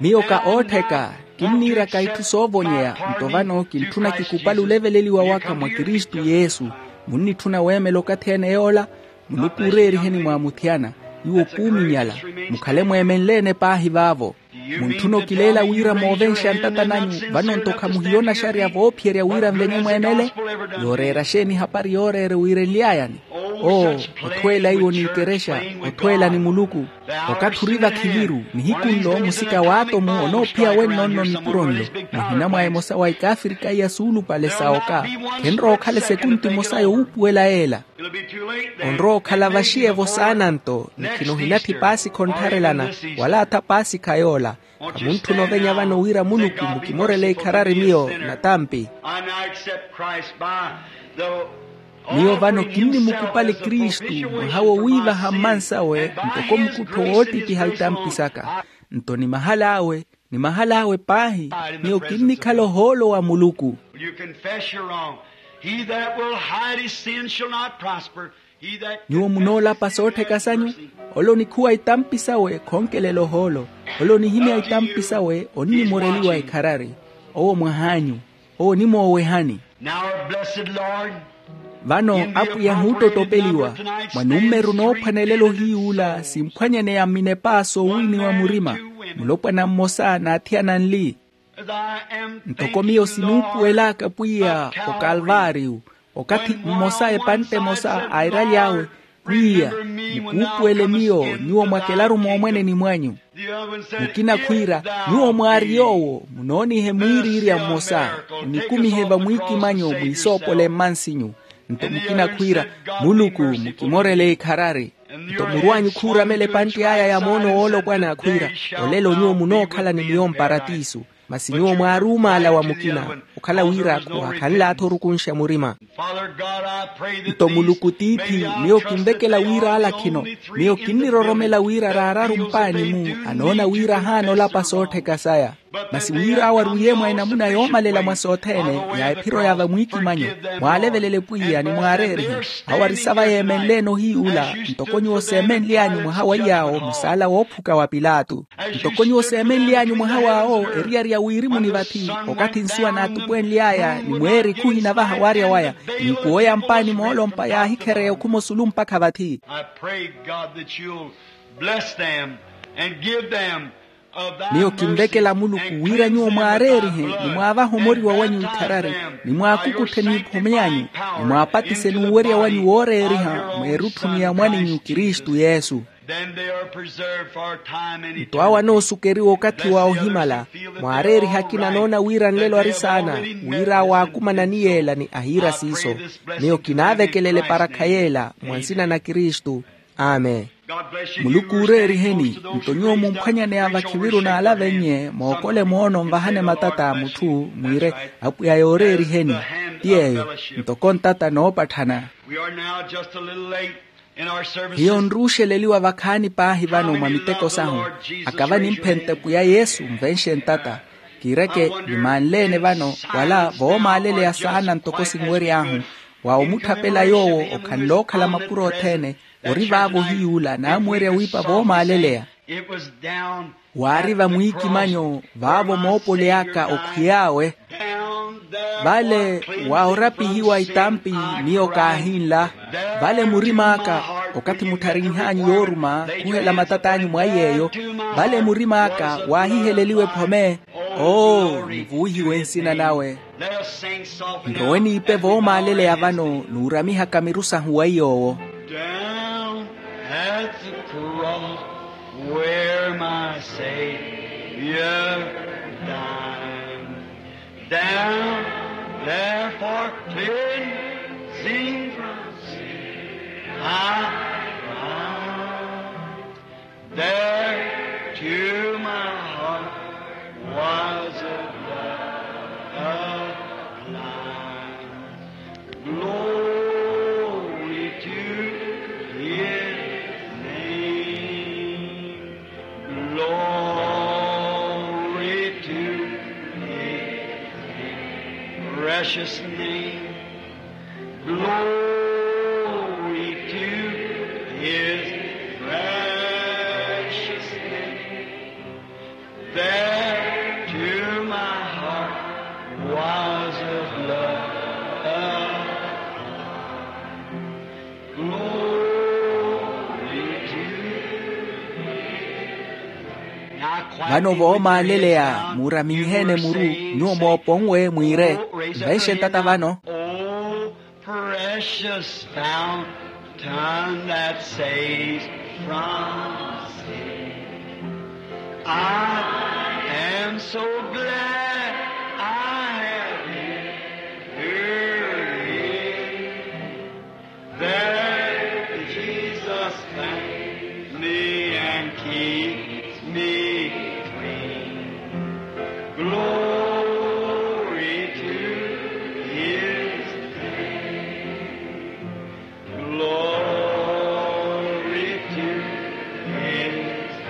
Miyo ka oottheka. Kinniiraka itthu soovonyeya. Nto vano kintthuna kikupale oleveleliwa waka mwa kristu yesu. Munnitthuna weemela okathi ene yoola. Muluku ooreeriheni mwaamuthiyana. Nyuwo khuuminyala. Mukhale mweemenle-ene paahi vaavo. Muntthuna okileela wira moovenxa ntata nanyu vano nto khamuhiya onaxarya voophiyerya wira nvenye mweemele? Yooreera xeeni ehapari yooreera ewireliyayani? Oo, othweela iwo n'ikerexa. Othweela ni muluku. Okathi ori vakhiviru nihiku nlo musika w'atomu onoophiya wenno-nno nipuro nlo. Muhina mwa emosa wa ikaafirika iya suulupale sa oka. Khenrowa okhala esekunti emosa yowuupuwela yeela. Onrowa okhala vaxiyevo saana nto ni khino hinatthi paasikha onttharelana. Wala atha paasikha yoola. Khamuntthuna ovenya vano wira muluku mukimorele ikharari miyo natampi. Miyo vano kinnimukupali kristu mwaha wowiivaha mmansawe ntoko mukuttho woottikiha itampi saka. Nto ni mahal'awe ni mahal'awe paahi. Miyo kinnikhala ohoolo wa muluku. Will you confess your wrong? He that will hide his sin shall not prosper. Nyuwo munoolapa soottheka sanyu. Ole onikhuwa itampi sawe khonkelela ohoolo. Ole onihimya itampi sawe onnimoreliwa ekharari. Owo mwah'anyu. Owo onimoowehani. Vano apwiya ahuuttotopeliwa mwa nummeru noophwanelela ohiyuula simphwanyaneya mminepa soowiiniwa murima. Mulopwana mmosa n'athiyana nli. Ntoko miyo sinuupuwelaka pwiya okalvaariyu, okathi mmosa epantte emosa airaly'awe, pwiya, mukuupuwele miyo nyuwo mwakelaru moomweneni mwanyu. Mukina khwiira, nyuwo mwaari yoowo munoonihe mwiiriirya mmosa, munikumihe vamwiikimanyo mwiisoopole mmansinyu. Nto mukina khwiira, muluku mukimorele ikharari. Nto muru anyu khuuramela epantte aya ya moono woolopwana khwiira, olelo nyuwo munookhala ni miyo mparatiisu. Masi nyuwo mwaari omaala wa mukina, okhala wira khuwaakhanle athorukunxa murima. Nto muluku tiithi, miyo kinvekela wira ala khino, miyo kinniroromela wira raararu mpaani-mu anoona wira ahaana olapa soottheka saya. Masi wira awo arwiye mwa enamuna yoomalela mwa sothene, ya ephiro ya vamwiikimanyo, mwaalevelele pwiya ni mwaareerihe. Awo ari sava yeemenleene ohiyuula ntoko nyuwo seemenly'anyu mwaha wa iy'awo musaala woophuka wa pilato. Ntoko nyuwo seemenly'anyu mwaha w'awo eriyari ya wiirimuni vathi, okathi nsuwa naatupwenly'aya ni mweeri khuhinavaha waarya waya, n'ikuwo ya mpaani moolompa yaahikhereya okhuma osulu mpakha vathi. I pray, God, that you'll bless them and give them of thy mercy. Miyo kinvekela muluku wira nyuwo mwaareerihe ni mwaavaha omoriwa wanyu ikharari, ni mwaakukutthe n'iphome yanyu, ni mwaapatise n'uwerya wanyu wooreeriha mweerutthuni ya mwan'inyu kristu yesu. Then they are preserved for time and eternity. Nto awo anoosukeriwa okathi wa ohimala. Mwaareeriha akina anoona wira nlelo ari saana, wira awo aakumana ni yeela ni ahiira siiso. Miyo kinaavekelele parakha yeela mwa nsina na kristu. Amen. Muluku ooreeriheni. Nto nyuwo mumphwanyaneya vakhiviru n'alavennye mookole moono nvahane matata a mutthu, mwiire, apwiya yooreeriheni. Ti yeeyo. Ntoko ntata noopatthana. Hiyo nruuxeleliwa vakhaani paahi vano mwa miteko sahu. Akava nimphente pwiya yesu nvenxe ntata. Kiireke nimanleene vano wala voomaaleleya saana ntoko sinwery'ahu, wa omutthapela yoowo okhanlookhala mapuro othene. Ori vaavo ohiyuula naamuwerya wiipa voomaaleleya. Waari vamwiikimanyo vaavo moopole aka okhwiy'awe. Vale wa orapihiwa itampi, miyo kaahinla. Vale murim'aka, okathi muttharin'hanyu yooruma khuhela matat'anyu mwa iy'eyo. Vale murim'aka waahiheleliwa ephome. Oo, nivuwihiwe nsina nawe. Nrowe niipe voomaaleleya vano nuuramihaka miru sahu wa iy'owo. Down at the cross where my Savior died. Down there for cleansing from sin I cried. There to my heart was a blood applied. Glory to his name. Glory to his precious name. Glory to his precious name. There to my heart was a blood. Glory to his. Vano voomaaleleya muuraminyiheene muru, nyuwo mooponwe mwiire, nvenxe ntata vano. Precious fountain that saves from sin. I am so glad I have entered in. There Jesus thanks me and keeps me clean. Glory to his name. Glory to his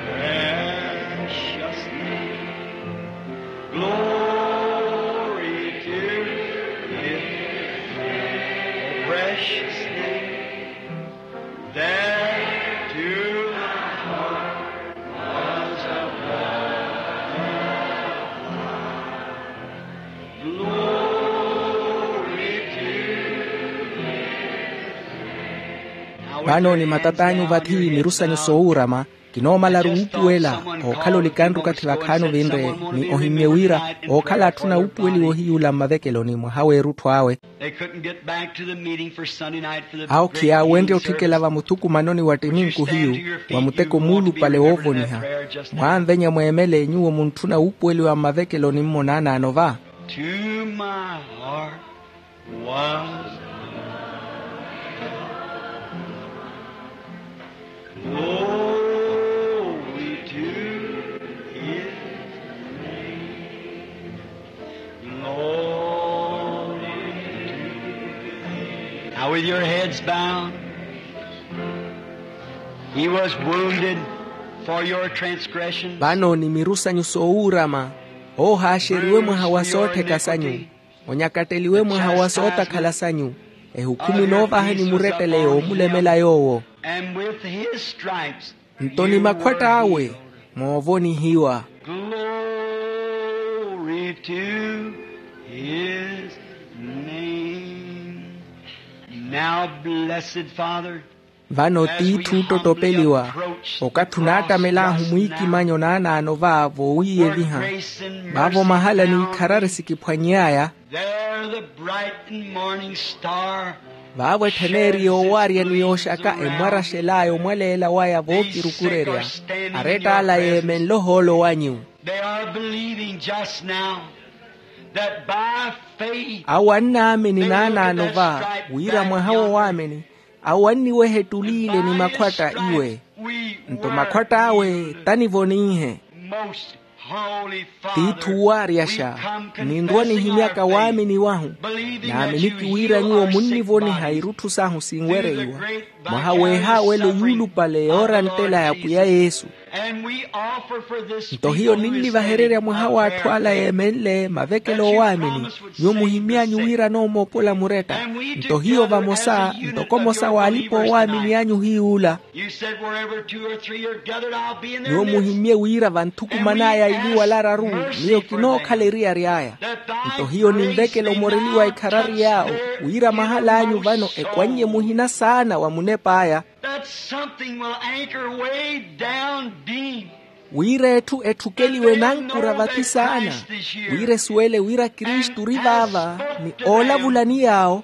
precious name. Vano ni matat'anyu vathi miru sanyu soowurama. Kinoomalaru wuupuwela ookhala olikanru okathi vakhaani ovinre, ni ohimmye wira ookhala atthuna wuupuweliwa ohiyuula mmavekeloni mwaha w'erutthu awe. Awo khiyaawenrye otthikela vamuthukumanoni wa ttiminku hiyu, wa muteko muulupale woovoniha. Mwaanvenya mweemele nyuwo muntthuna wuupuweliwa mmavekeloni mmo naanaano va. To my heart was glory to his name. Glory to his name. Now with your heads bowed, he was wounded for your transgressions. Vano ni miru sanyu soowuurama, oohaaxeriwe mwaha wa soottheka sanyu, onyakatteliwe mwaha wa sootakhala sanyu, ehukhumi inoovahani murettele yoomulemela yoowo. And with his stripes. Nto ni makhwatta awe moovonihiwa. Glory to his name. Now, blessed Father, vano tiithi ottottopeliwa, okathi onaattamela ahu mwiikimanyo naanaano va voowiiyeviha, vaavo mahala ni ikharari sikiphwany'aya. There the bright and morning star. Vaavo ettheneri yoowaarya ni yooxaka emwaraxel'aya omwaleela waya vookirukurerya, aretta ala yeemenle ohoolo wanyu. They are believing just now that by faith. Awo annaamini naanaano va wira mwaha wo waamini, awo anniweha ettuli ile ni makhwatta iwe. Nto makhwatta awe tanivoniihe. Tiithi uwaaryaxa, ninrwa nihimyaka waamini wahu, naaminiki wira nyuwo munnivoniha irutthu sahu sinwereiwa. Mwaha weehaawelo yuulupale yooranttela ya pwiya yesu. Nto hiyo ninnivahererya mwaha w'atthu ala yeemenle mavekelo oowaamini, nyuwo muhimmy'anyu wira anoomoopola muretta. Nto hiyo vamosa ntoko omosa w'alipa oowaamini anyu hiy'ula. Nyuwo muhimmye wira vanthukuman'aya ili wala araru, miyo kinookhala eriyari aya. Nto hiyo ninvekela omoreliwa ekharari yaawo, wira mahal'anyu vano ekwannye muhina saana wa munep'aya. Wira etthu etthukeliwe nankura vathi saana, wira esuwele wira kristu ori vaava ni oolavulani yaawo.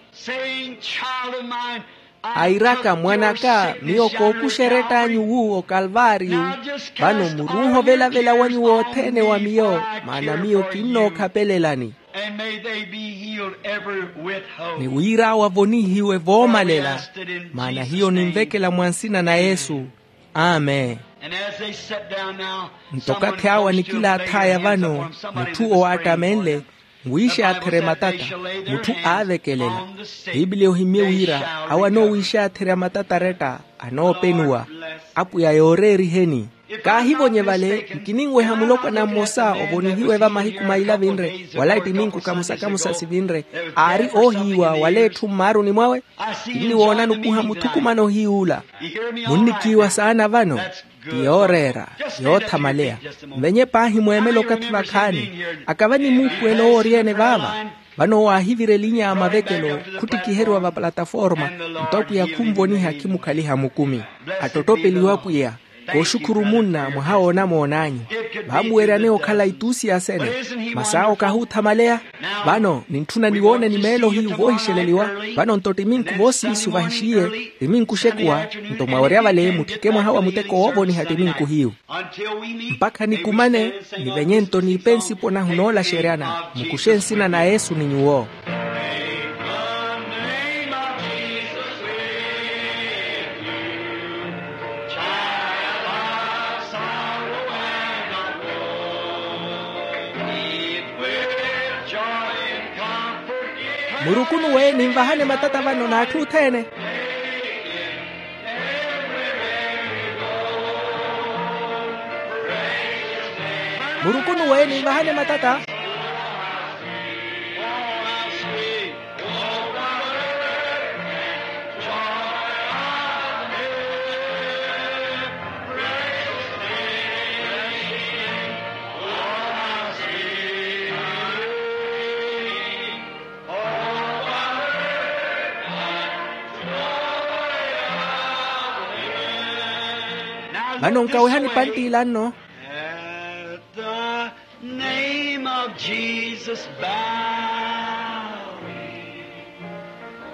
Airaka, mwan'aka, miyo kookuxa erett'anyu wu okalvaariyu. Vano muruuha ovelavela wanyu wothene wa miyo, maana miyo kinnookapelelani. Ni wira awo avonihiwe voomalela. Maana hiyo ninvekela mwa nsina na yesu. Amen. Nto okathi awo anikilaath'aya vano, mutthu owo aattamenle, nwiixaatherye matata, mutthu aavekelela. Piipiliya ohimmye wira awo anoowiixaatherya matata aretta, anoopenuwa. Apwiya yooreeriheni. Kaahivonye vale, nkininweha mulopwana mmosa ovonihiwe vamahiku maili avinre wala ettiminku kamosa-kamosa sivinre, aari oohiiwa wala etthu mmaaruni mwawe. Kinniwoona nukuha muthukumano hiy'ula. Munnikiiwa saana vano. Ti yooreera, yoothamaleya. Nvenye paahi mweemele okathi vakhaani. Akava ni muupuwelo owo ori-ene vaava. Vano waahivira elinya a mavekelo khuttikiheriwa va plataforma. Nto apwiya khunvoniha khimukhaliha mukumi. Attottopeliwe apwiya. Kooxukhuru munna mwaha w'onamoon'anyu. Vaamuweryane okhala ituusi ya sene. Masi awo kahuuthamaleya. Vano nintthuna niwoone ni meelo hiyu voohixeleliwa. Vano nto ttiminku voosiisu vahixiye, ttiminku oxekuwa. Nto mwawerya vale mutthike mwaha wa muteko woovoniha ttiminku hiyu. Mpakha nikumane, nivenye nto niipe nsipo nahu noolaxeryana. Mukuxe nsina na yesu ni nyuwo. Murukunuwe ninvahane matata vano n'atthu othene. Murukunuwe ninvahane matata. Vano nkawehani panttila nno. At the name of Jesus bowing,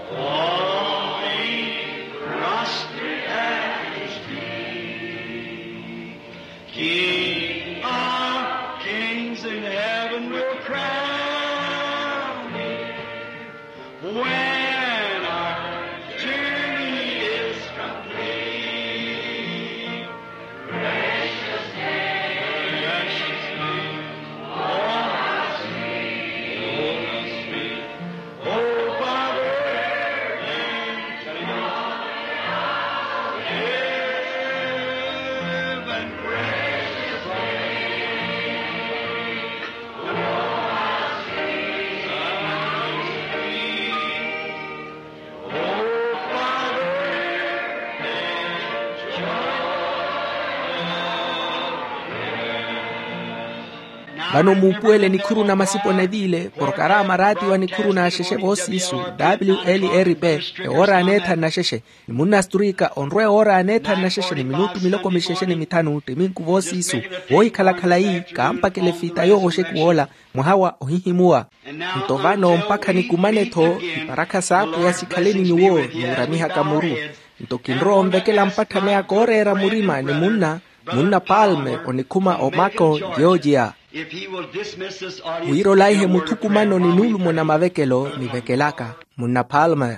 falling prostrate at his feet. King of kings in heaven will crown him when our journey is complete. Precious name, precious name, oh, how sweet, oh, how sweet. Oh, Father, and heaven, precious name. Vano muupuwele nikhuru na masipo neviile, porokarama raatiwa nikhuru n'axexe voosiisu, wlrp, ewoora aneethanu naxexe, ni munna astrika onrwa ewoora aneethanu naxexe ni minutu miloko mixexe ni mithanu ttiminku voosiisu, voohikhala-khala yi kaampakela efita yoowo oxeku woola, mwaha wa ohihimuwa. Nto vano mpakha nikumane-tho iparakha s'apwiya sikhale ni nyuwo, nuuramihaka muru. Nto kinrowa onvekela mpattha meya kooreera murima ni munna, munna palme onikhuma omako, georgia. Wira olaihe muthukumano ni nuulumo na mavekelo nivekelaka, munna palme.